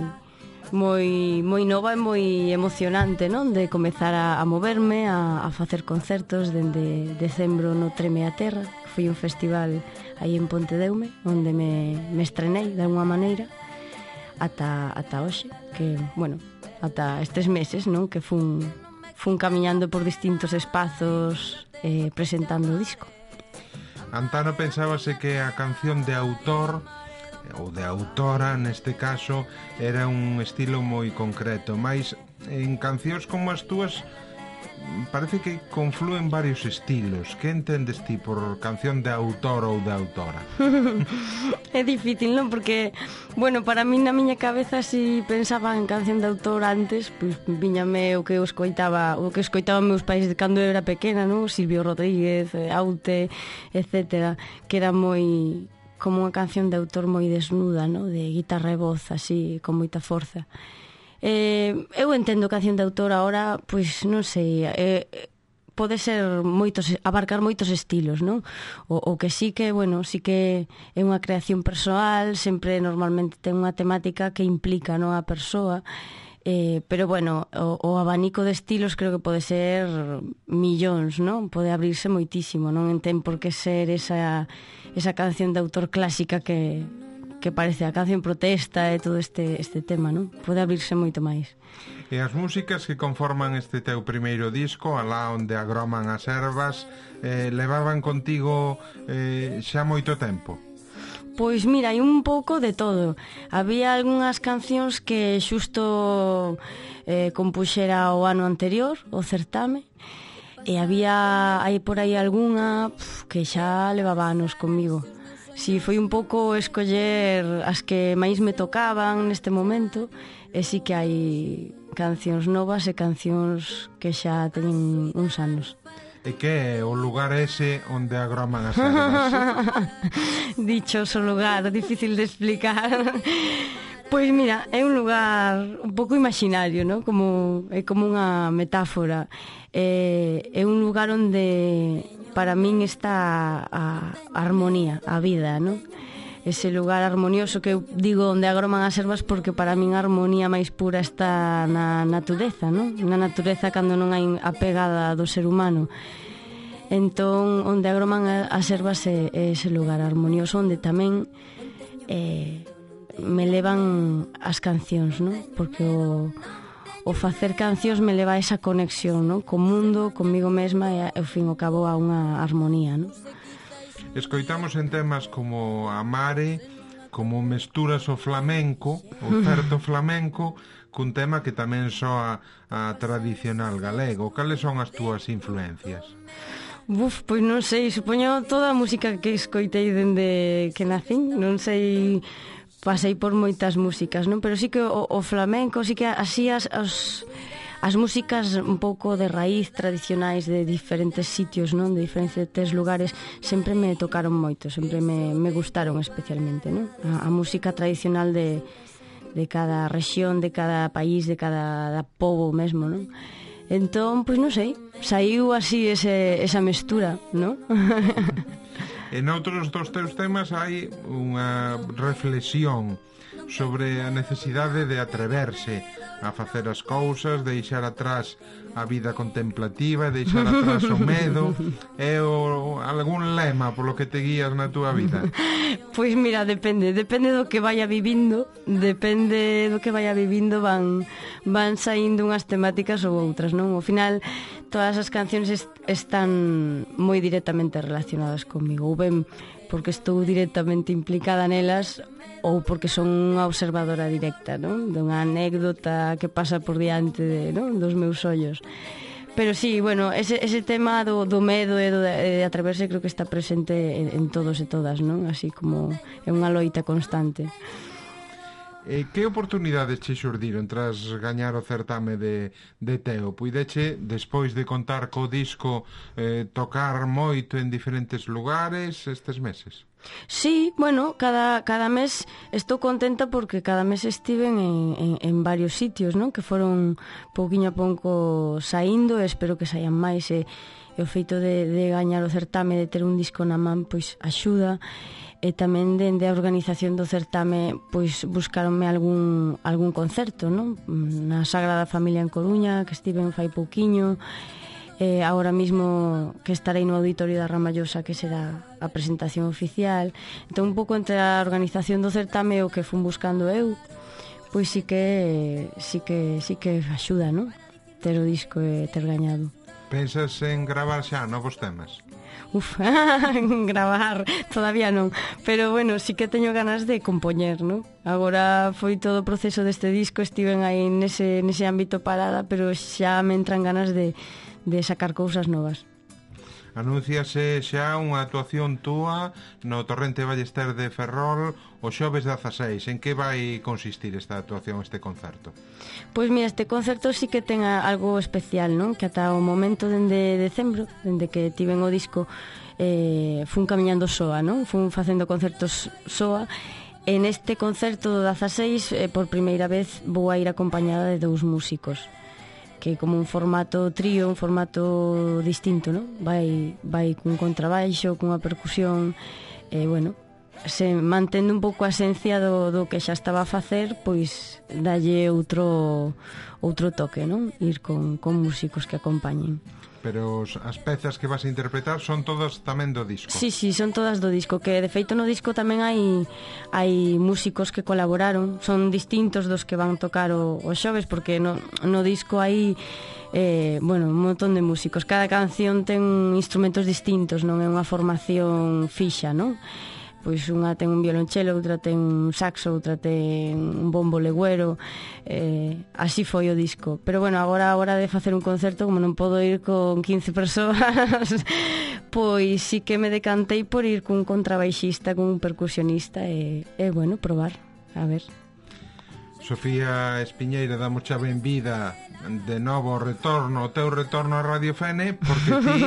nova e moi emocionante, non? De comezar a moverme, a facer concertos dende decembro no Treme a Terra. Foi un festival aí en Pontedeume, onde me estrenei de alguma maneira ata hoxe, que, ata estes meses, non? Que fun camiñando por distintos espazos presentando o disco. Antano pensábase que a canción de autor ou de autora, neste caso, era un estilo moi concreto, mas en cancións como as túas parece que conflúen varios estilos. Que entendes ti por canción de autor ou de autora? É difícil, non? Porque, bueno, para mí na miña cabeza si pensaba en canción de autor antes, pois viñame o que escoitaba meus pais de cando eu era pequena, non? Silvio Rodríguez, Aute, etcétera, que era moi como unha canción de autor moi desnuda, non? De guitarra e voz, así, con moita forza. Eu entendo canción de autor ahora, pois non sei, pode ser abarcar moitos estilos, non? O que sí que, bueno, sí que é unha creación persoal, sempre normalmente ten unha temática que implica, non, a persoa, pero bueno, o abanico de estilos creo que pode ser millóns, non? Pode abrirse moitísimo, non ten por que ser esa canción de autor clásica que parece a canción protesta e todo este tema, non? Pode abrirse moito máis. E as músicas que conforman este teu primeiro disco, Alá onde agroman as ervas, levaban contigo xa moito tempo? Pois mira, hai un pouco de todo. Había algunhas cancións que xusto compuxera o ano anterior, o certame, e hai por aí algunha que xa levaba anos comigo. Si foi un pouco escoller as que máis me tocaban neste momento, e si que hai cancións novas e cancións que xa teñen uns anos. E que é o lugar ese onde agroman as ervas? Dichoso lugar, difícil de explicar. Pois mira, é un lugar un pouco imaginario, ¿no? É como unha metáfora. É un lugar onde para min está a armonía, a vida, ¿no? Ese lugar armonioso que eu digo onde agroman as ervas, porque para min a armonía máis pura está na natureza, ¿no? Na natureza cando non hai a pegada do ser humano. Entón, onde agroman as ervas é ese lugar armonioso onde tamén me levan as cancións, ¿no? Porque o facer cancións me leva a esa conexión, ¿no? Co mundo, comigo mesma e ao fin ao cabo a unha armonía, ¿no? Escoitamos en temas como Amare, como mesturas o flamenco, o certo flamenco, cun tema que tamén soa a tradicional galego. Cales son as túas influencias? Pois non sei, supoño toda a música que escoitei dende que nacín, non sei, pasei por moitas músicas, non? Pero sí que o flamenco, sí que así as músicas un pouco de raíz tradicionais de diferentes sitios, non? De diferentes lugares, sempre me tocaron moito, sempre me gustaron especialmente, non? A música tradicional de cada rexión, de cada país, de cada pobo mesmo, non? Entón, pois non sei, saiu así esa mestura, non? En outros dos teus temas hai unha reflexión sobre a necesidade de atreverse a facer as cousas, deixar atrás a vida contemplativa, deixar atrás o medo. É algún lema polo que te guías na túa vida? Pois mira, depende do que vaya vivindo, van saindo unhas temáticas ou outras, non? Ao final, todas as cancións están moi directamente relacionadas comigo, ou ben porque estou directamente implicada nelas ou porque son unha observadora directa, non? Dunha anécdota que pasa por diante dos meus ollos. Pero sí, bueno, ese tema do medo e de atreverse creo que está presente en todos e todas, non? Así como é unha loita constante. Que oportunidades che xurdiron tras gañar o certame de Teo? Puideche, despois de contar co disco, tocar moito en diferentes lugares estes meses? Sí, bueno, cada mes estou contenta porque cada mes estiven en varios sitios, non? Que foron pouquiño a pouco saindo e espero que saian máis e o feito de gañar o certame, de ter un disco na man, pois axuda. E tamén dende a organización do certame pois buscaronme algún concerto, non? Na Sagrada Familia en Coruña, que estiven fai pouquiño, agora mismo que estarei no Auditorio da Ramallosa, que será a presentación oficial. Entón un pouco entre a organización do certame e o que fun buscando eu, pois sí que axuda, non? Ter o disco e ter gañado. Pensas en gravar xa novos temas? Gravar todavía non, pero bueno, sí que teño ganas de compoñer, non? Agora foi todo o proceso deste disco, estiven aí nese ámbito parada, pero xa me entran ganas de sacar cousas novas. Anúnciase xa unha actuación túa no Torrente Ballester de Ferrol o xoves 16. En que vai consistir esta actuación, este concerto? Pois mira, este concerto sí que ten algo especial, non? Que ata o momento dende decembro, dende que tiven o disco, fun camiñando soa, non? Fun facendo concertos soa. En este concerto do 16, por primeira vez, vou a ir acompañada de 2 músicos, que como un formato trío, un formato distinto, non? Vai cun contrabaixo, cunha percusión, bueno, se mantendo un pouco a esencia do que xa estaba a facer, pois dalle outro toque, non? Ir con músicos que acompañen. Pero as pezas que vas a interpretar son todas tamén do disco. Sí, son todas do disco, que de feito no disco tamén hai músicos que colaboraron, son distintos dos que van tocar o xoves, porque no disco hai un montón de músicos, cada canción ten instrumentos distintos, non é unha formación fixa, non? Pois unha ten un violonchelo, outra ten un saxo, outra ten un bombo legüero, así foi o disco. Pero bueno, agora a hora de facer un concerto, como non podo ir con 15 persoas, pois sí que me decantei por ir cun contrabaixista, cun percusionista e bueno, probar, a ver. Sofía Espiñeira, damos xa benvida de novo o teu retorno a Radio Fene, porque ti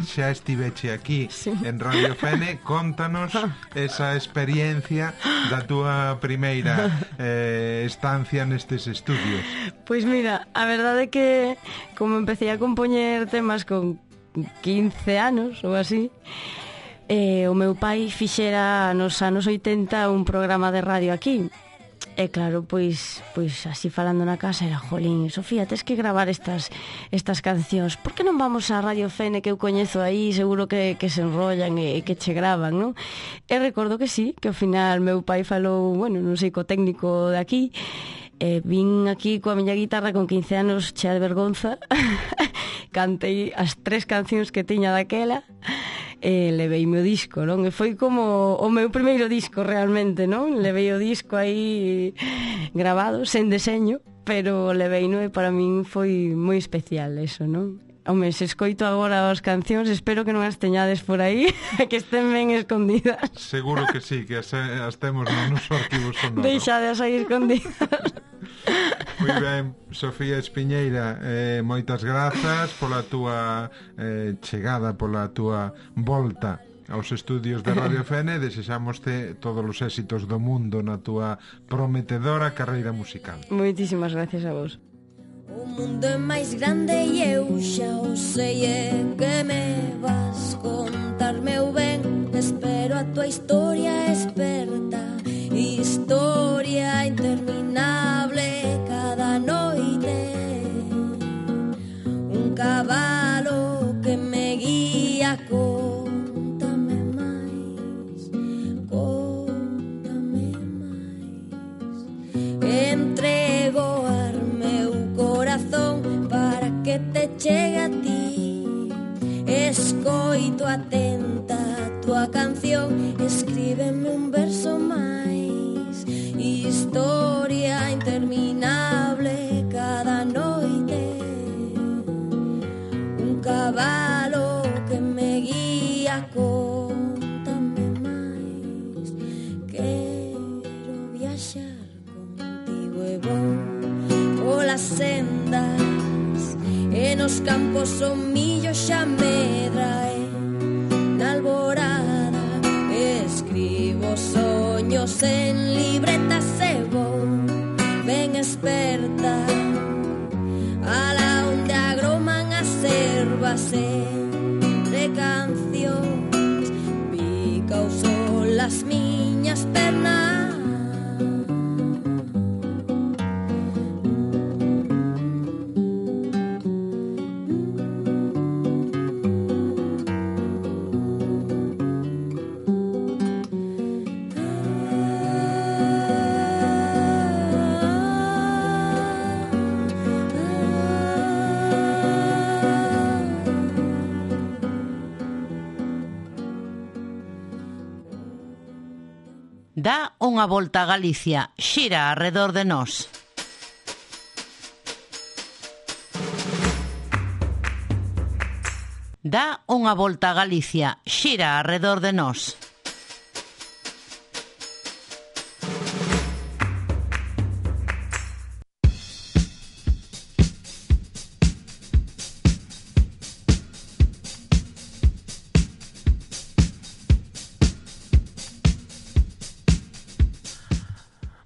xa estiveche aquí en Radio Fene. Contanos esa experiencia da túa primeira estancia nestes estudios. Pois mira, a verdade é que como empecé a compoñer temas con 15 anos ou así, o meu pai fixera nos anos 80 un programa de radio aquí. E claro, pois así falando na casa era, jolín, Sofía, tes que gravar estas cancións. Por que non vamos a Radio Fene, que eu coñezo aí, seguro que se enrollan e que che gravan, non? E recordo que sí, que ao final meu pai falou, bueno, non sei, co técnico de aquí, vin aquí coa miña guitarra con 15 anos chea de vergonza, cantei as 3 cancións que tiña daquela, levei o disco, non? E foi como o meu primeiro disco realmente, non? Levei o disco aí grabado, sen deseño, pero leveino e para min foi moi especial eso, non? Home, se escoito agora as cancións, espero que non as teñades por aí, que estén ben escondidas. Seguro que sí, que as temos no noso arquivo sonoro. Deixades aí escondidas. Moi ben, Sofía Espiñeira, moitas grazas pola túa chegada, pola túa volta aos estudios de Radio Fene. Desexamoste todos os éxitos do mundo na túa prometedora carreira musical. Moitísimas gracias a vos. O mundo é máis grande e eu xa o sei, é que me vas contar, meu ben. Espero a tua historia experta, historia interminable cada noite. Un cabalo que me guía, contame máis, contame máis. Entrego para que te chegue a ti, escoito atenta a tua canción, escríbeme un verso máis, historia interminable cada noite. Un cabalo que me guía, contame máis, quero viaxar contigo e vou polas sendas e nos campos o millo xa medra, e na alborada escribo soños en libretas e vou ben experta alá onde agroman as ervas entre cancións, pica o sol as miñas pernas. Dá unha volta a Galicia, xira arredor de nós. Dá unha volta a Galicia, xira arredor de nós.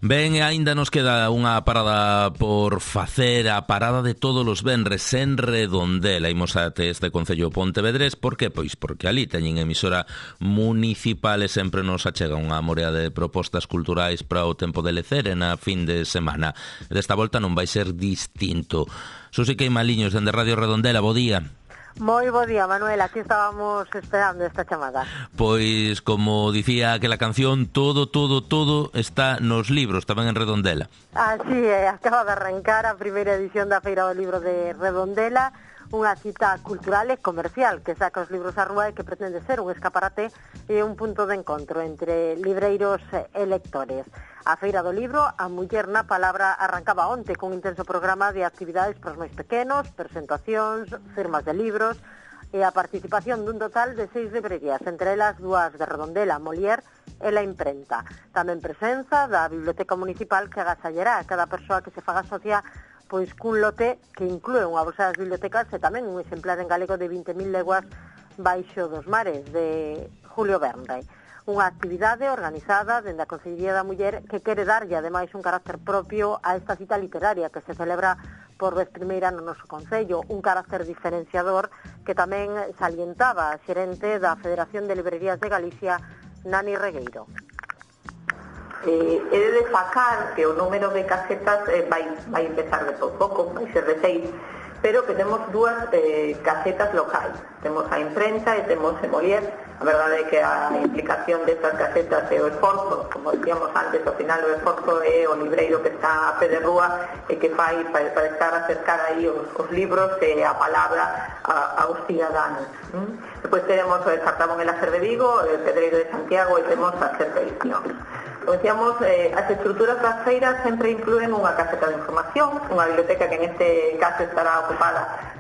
Ben, e aínda nos queda unha parada por facer, a parada de todos os venres en Redondela. Imos até este concello pontevedrés. Por que? Pois porque ali teñen emisora municipal e sempre nos achega unha morea de propostas culturais para o tempo de lecer e na fin de semana. Desta volta non vai ser distinto. Susi Queimaliños, dende Radio Redondela, bo día. Moi bo día, Manuel, aquí estábamos esperando esta chamada. Pois, como dicía aquela canción, todo está nos libros, tamén en Redondela. Así é, acaba de arrancar a primeira edición da Feira do Libro de Redondela, unha cita cultural e comercial que saca os libros á rúa e que pretende ser un escaparate e un punto de encontro entre libreiros e lectores. A Feira do Libro, a Muller na Palabra, arrancaba onte cun intenso programa de actividades para os máis pequenos, presentacións, firmas de libros e a participación dun total de 6 librerías, entre elas 2 de Redondela, Molière e La Imprenta. Tamén presenza da Biblioteca Municipal que agasallará a cada persoa que se faga socia pois cun lote que inclúe unha bolsa das bibliotecas e tamén un exemplar en galego de 20.000 leguas baixo dos mares, de Julio Verne. Unha actividade organizada dende a Consellería da Muller que quere darlle ademais un carácter propio a esta cita literaria que se celebra por vez primeira no noso concello, un carácter diferenciador que tamén salientaba a xerente da Federación de Librerías de Galicia, Nani Regueiro. He de destacar que o número de casetas vai empezar de pouco, vai ser de 6, pero que temos 2 casetas locais. Temos a Imprenta e temos a Molière. A verdade é que a implicación destas casetas e o esforzo, como decíamos antes, ao final o esforzo é o libreiro que está a pé de rúa e que fai para estar a acercar aí os libros e a palabra aos ciudadanos. Depois teremos o Cartabón e Láser de Vigo, o Pedreiro de Santiago e temos a Cerca Edicións. Como decíamos, as estruturas das feiras sempre incluen unha caseta de información, unha biblioteca que en este caso estará ocupada,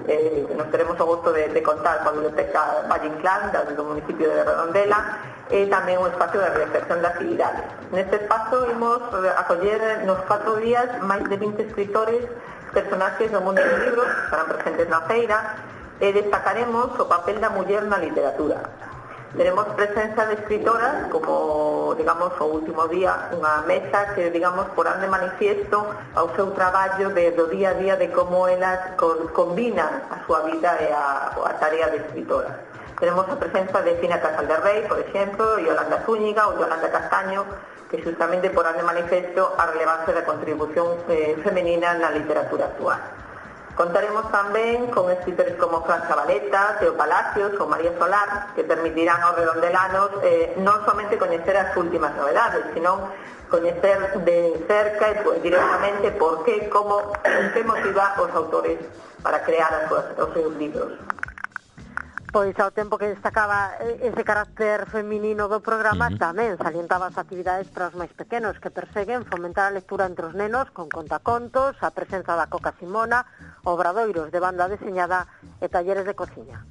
nos teremos o gusto de contar coa biblioteca Valle Inclán, do municipio de Redondela, e tamén un espacio de reflexión de actividades. Neste espacio imos acoller nos 4 días máis de 20 escritores, personaxes do mundo dos libros, que estarán presentes na feira, e destacaremos o papel da muller na literatura. Teremos presenza de escritoras como, digamos, o último día, unha mesa que, digamos, porán de manifiesto ao seu traballo do día a día de como elas combinan a súa vida e a tarea de escritora. Tenemos a presenza de Fina Casal de Rei, por exemplo, Yolanda Zúñiga ou Yolanda Castaño, que justamente porán de manifesto a relevancia da contribución femenina na literatura actual. Contaremos tamén con escritores como Fran Zabaleta, Teo Palacios ou María Solar, que permitirán aos redondelanos non somente coñecer as últimas novedades, sino coñecer de cerca e directamente por qué, como, que motiva os autores para crear os seus libros. Pois ao tempo que destacaba ese carácter feminino do programa, tamén salientaba as actividades para os máis pequenos que perseguen fomentar a lectura entre os nenos con contacontos, a presenza da Coca Simona, obradoiros de banda deseñada e talleres de cociña.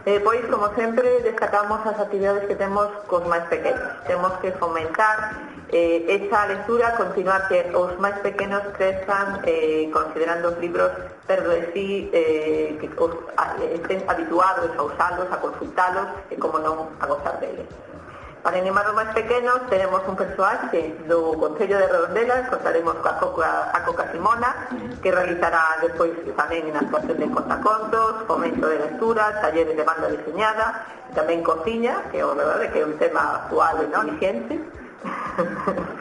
Pois, como sempre, destacamos as actividades que temos cos máis pequenos. Temos que fomentar esa lectura, continuar que os máis pequenos crezan considerando os libros perto de sí, que estén habituados a usalos, a consultalos e, como non, a gozar deles. Para animar os máis pequenos tenemos un persoaxe do Concello de Redondela, contaremos coa Coca Simona, que realizará despois tamén na actuación de contacontos, fomento de lectura, talleres de banda diseñada, tamén cociña, que é verdade que é un tema actual e non vigente.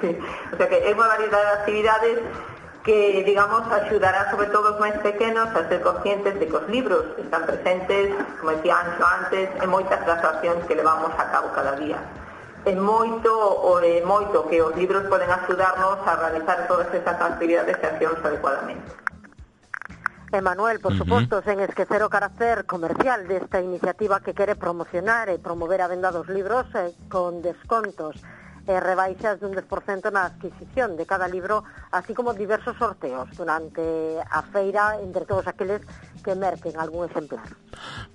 Sí. O sea que é unha variedade de actividades que, digamos, axudará sobre todo os máis pequenos a ser conscientes de que os libros están presentes, como decía Anxo antes, en moitas das accións que levamos a cabo cada día. É moito que os libros poden axudarnos a realizar todas estas actividades e accións adecuadamente. Manuel, por suposto, sen esquecer o carácter comercial desta iniciativa que quere promocionar e promover a venda dos libros con descontos e rebaixas dun 10% na adquisición de cada libro, así como diversos sorteos durante a feira entre todos aqueles que merquen algún exemplar.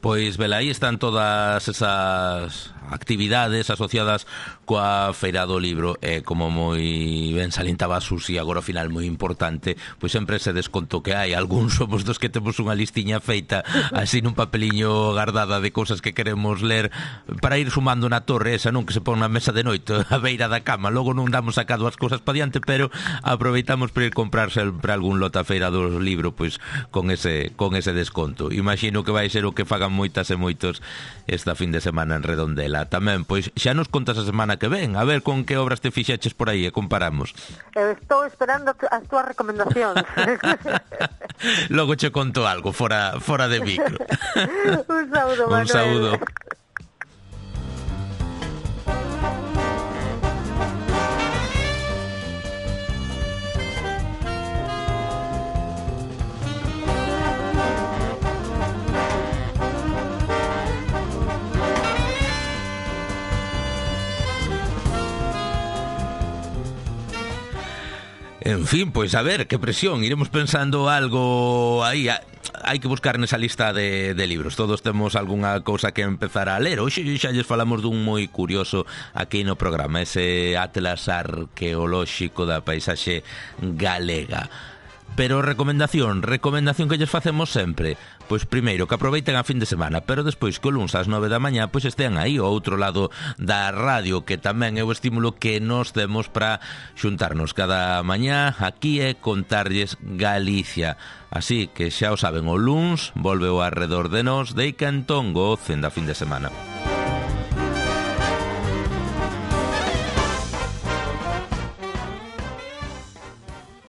Pois, vela, aí están todas esas actividades asociadas coa Feira do Libro e como moi ben salientaba Susi agora ao final moi importante, pois sempre ese desconto que hai, algúns somos dos que temos unha listiña feita así nun papeliño guardada de cousas que queremos ler para ir sumando na torre esa, non, que se pon na mesa de noite a beira da cama, logo non damos sacado as cousas para diante, pero aproveitamos para ir comprar sempre algún lote a Feira do Libro pois con ese desconto. Imagino que vai ser o que fagan moitas e moitos esta fin de semana en Redondela. Tamén, pois xa nos contas a semana que ven, a ver con que obras te fixeches por aí e comparamos. Estou esperando as túas recomendacións. Logo che conto algo fora de micro. Un saúdo, Manuel. Un saúdo. En fin, pois a ver, que presión, iremos pensando algo aí, hai que buscar nesa lista de libros. Todos temos algunha cousa que empezar a ler. Hoxe xa lles falamos dun moi curioso aquí no programa, ese atlas arqueolóxico da paisaxe galega. Pero recomendación que lles facemos sempre. Pois primeiro, que aproveiten a fin de semana, pero despois que o luns ás 9 da mañá pois estean aí ao outro lado da radio, que tamén é o estímulo que nos temos para xuntarnos cada mañá aquí e contarlles Galicia. Así que xa o saben, o luns volve o Arredor de Nós, de que entón gocen da fin de semana.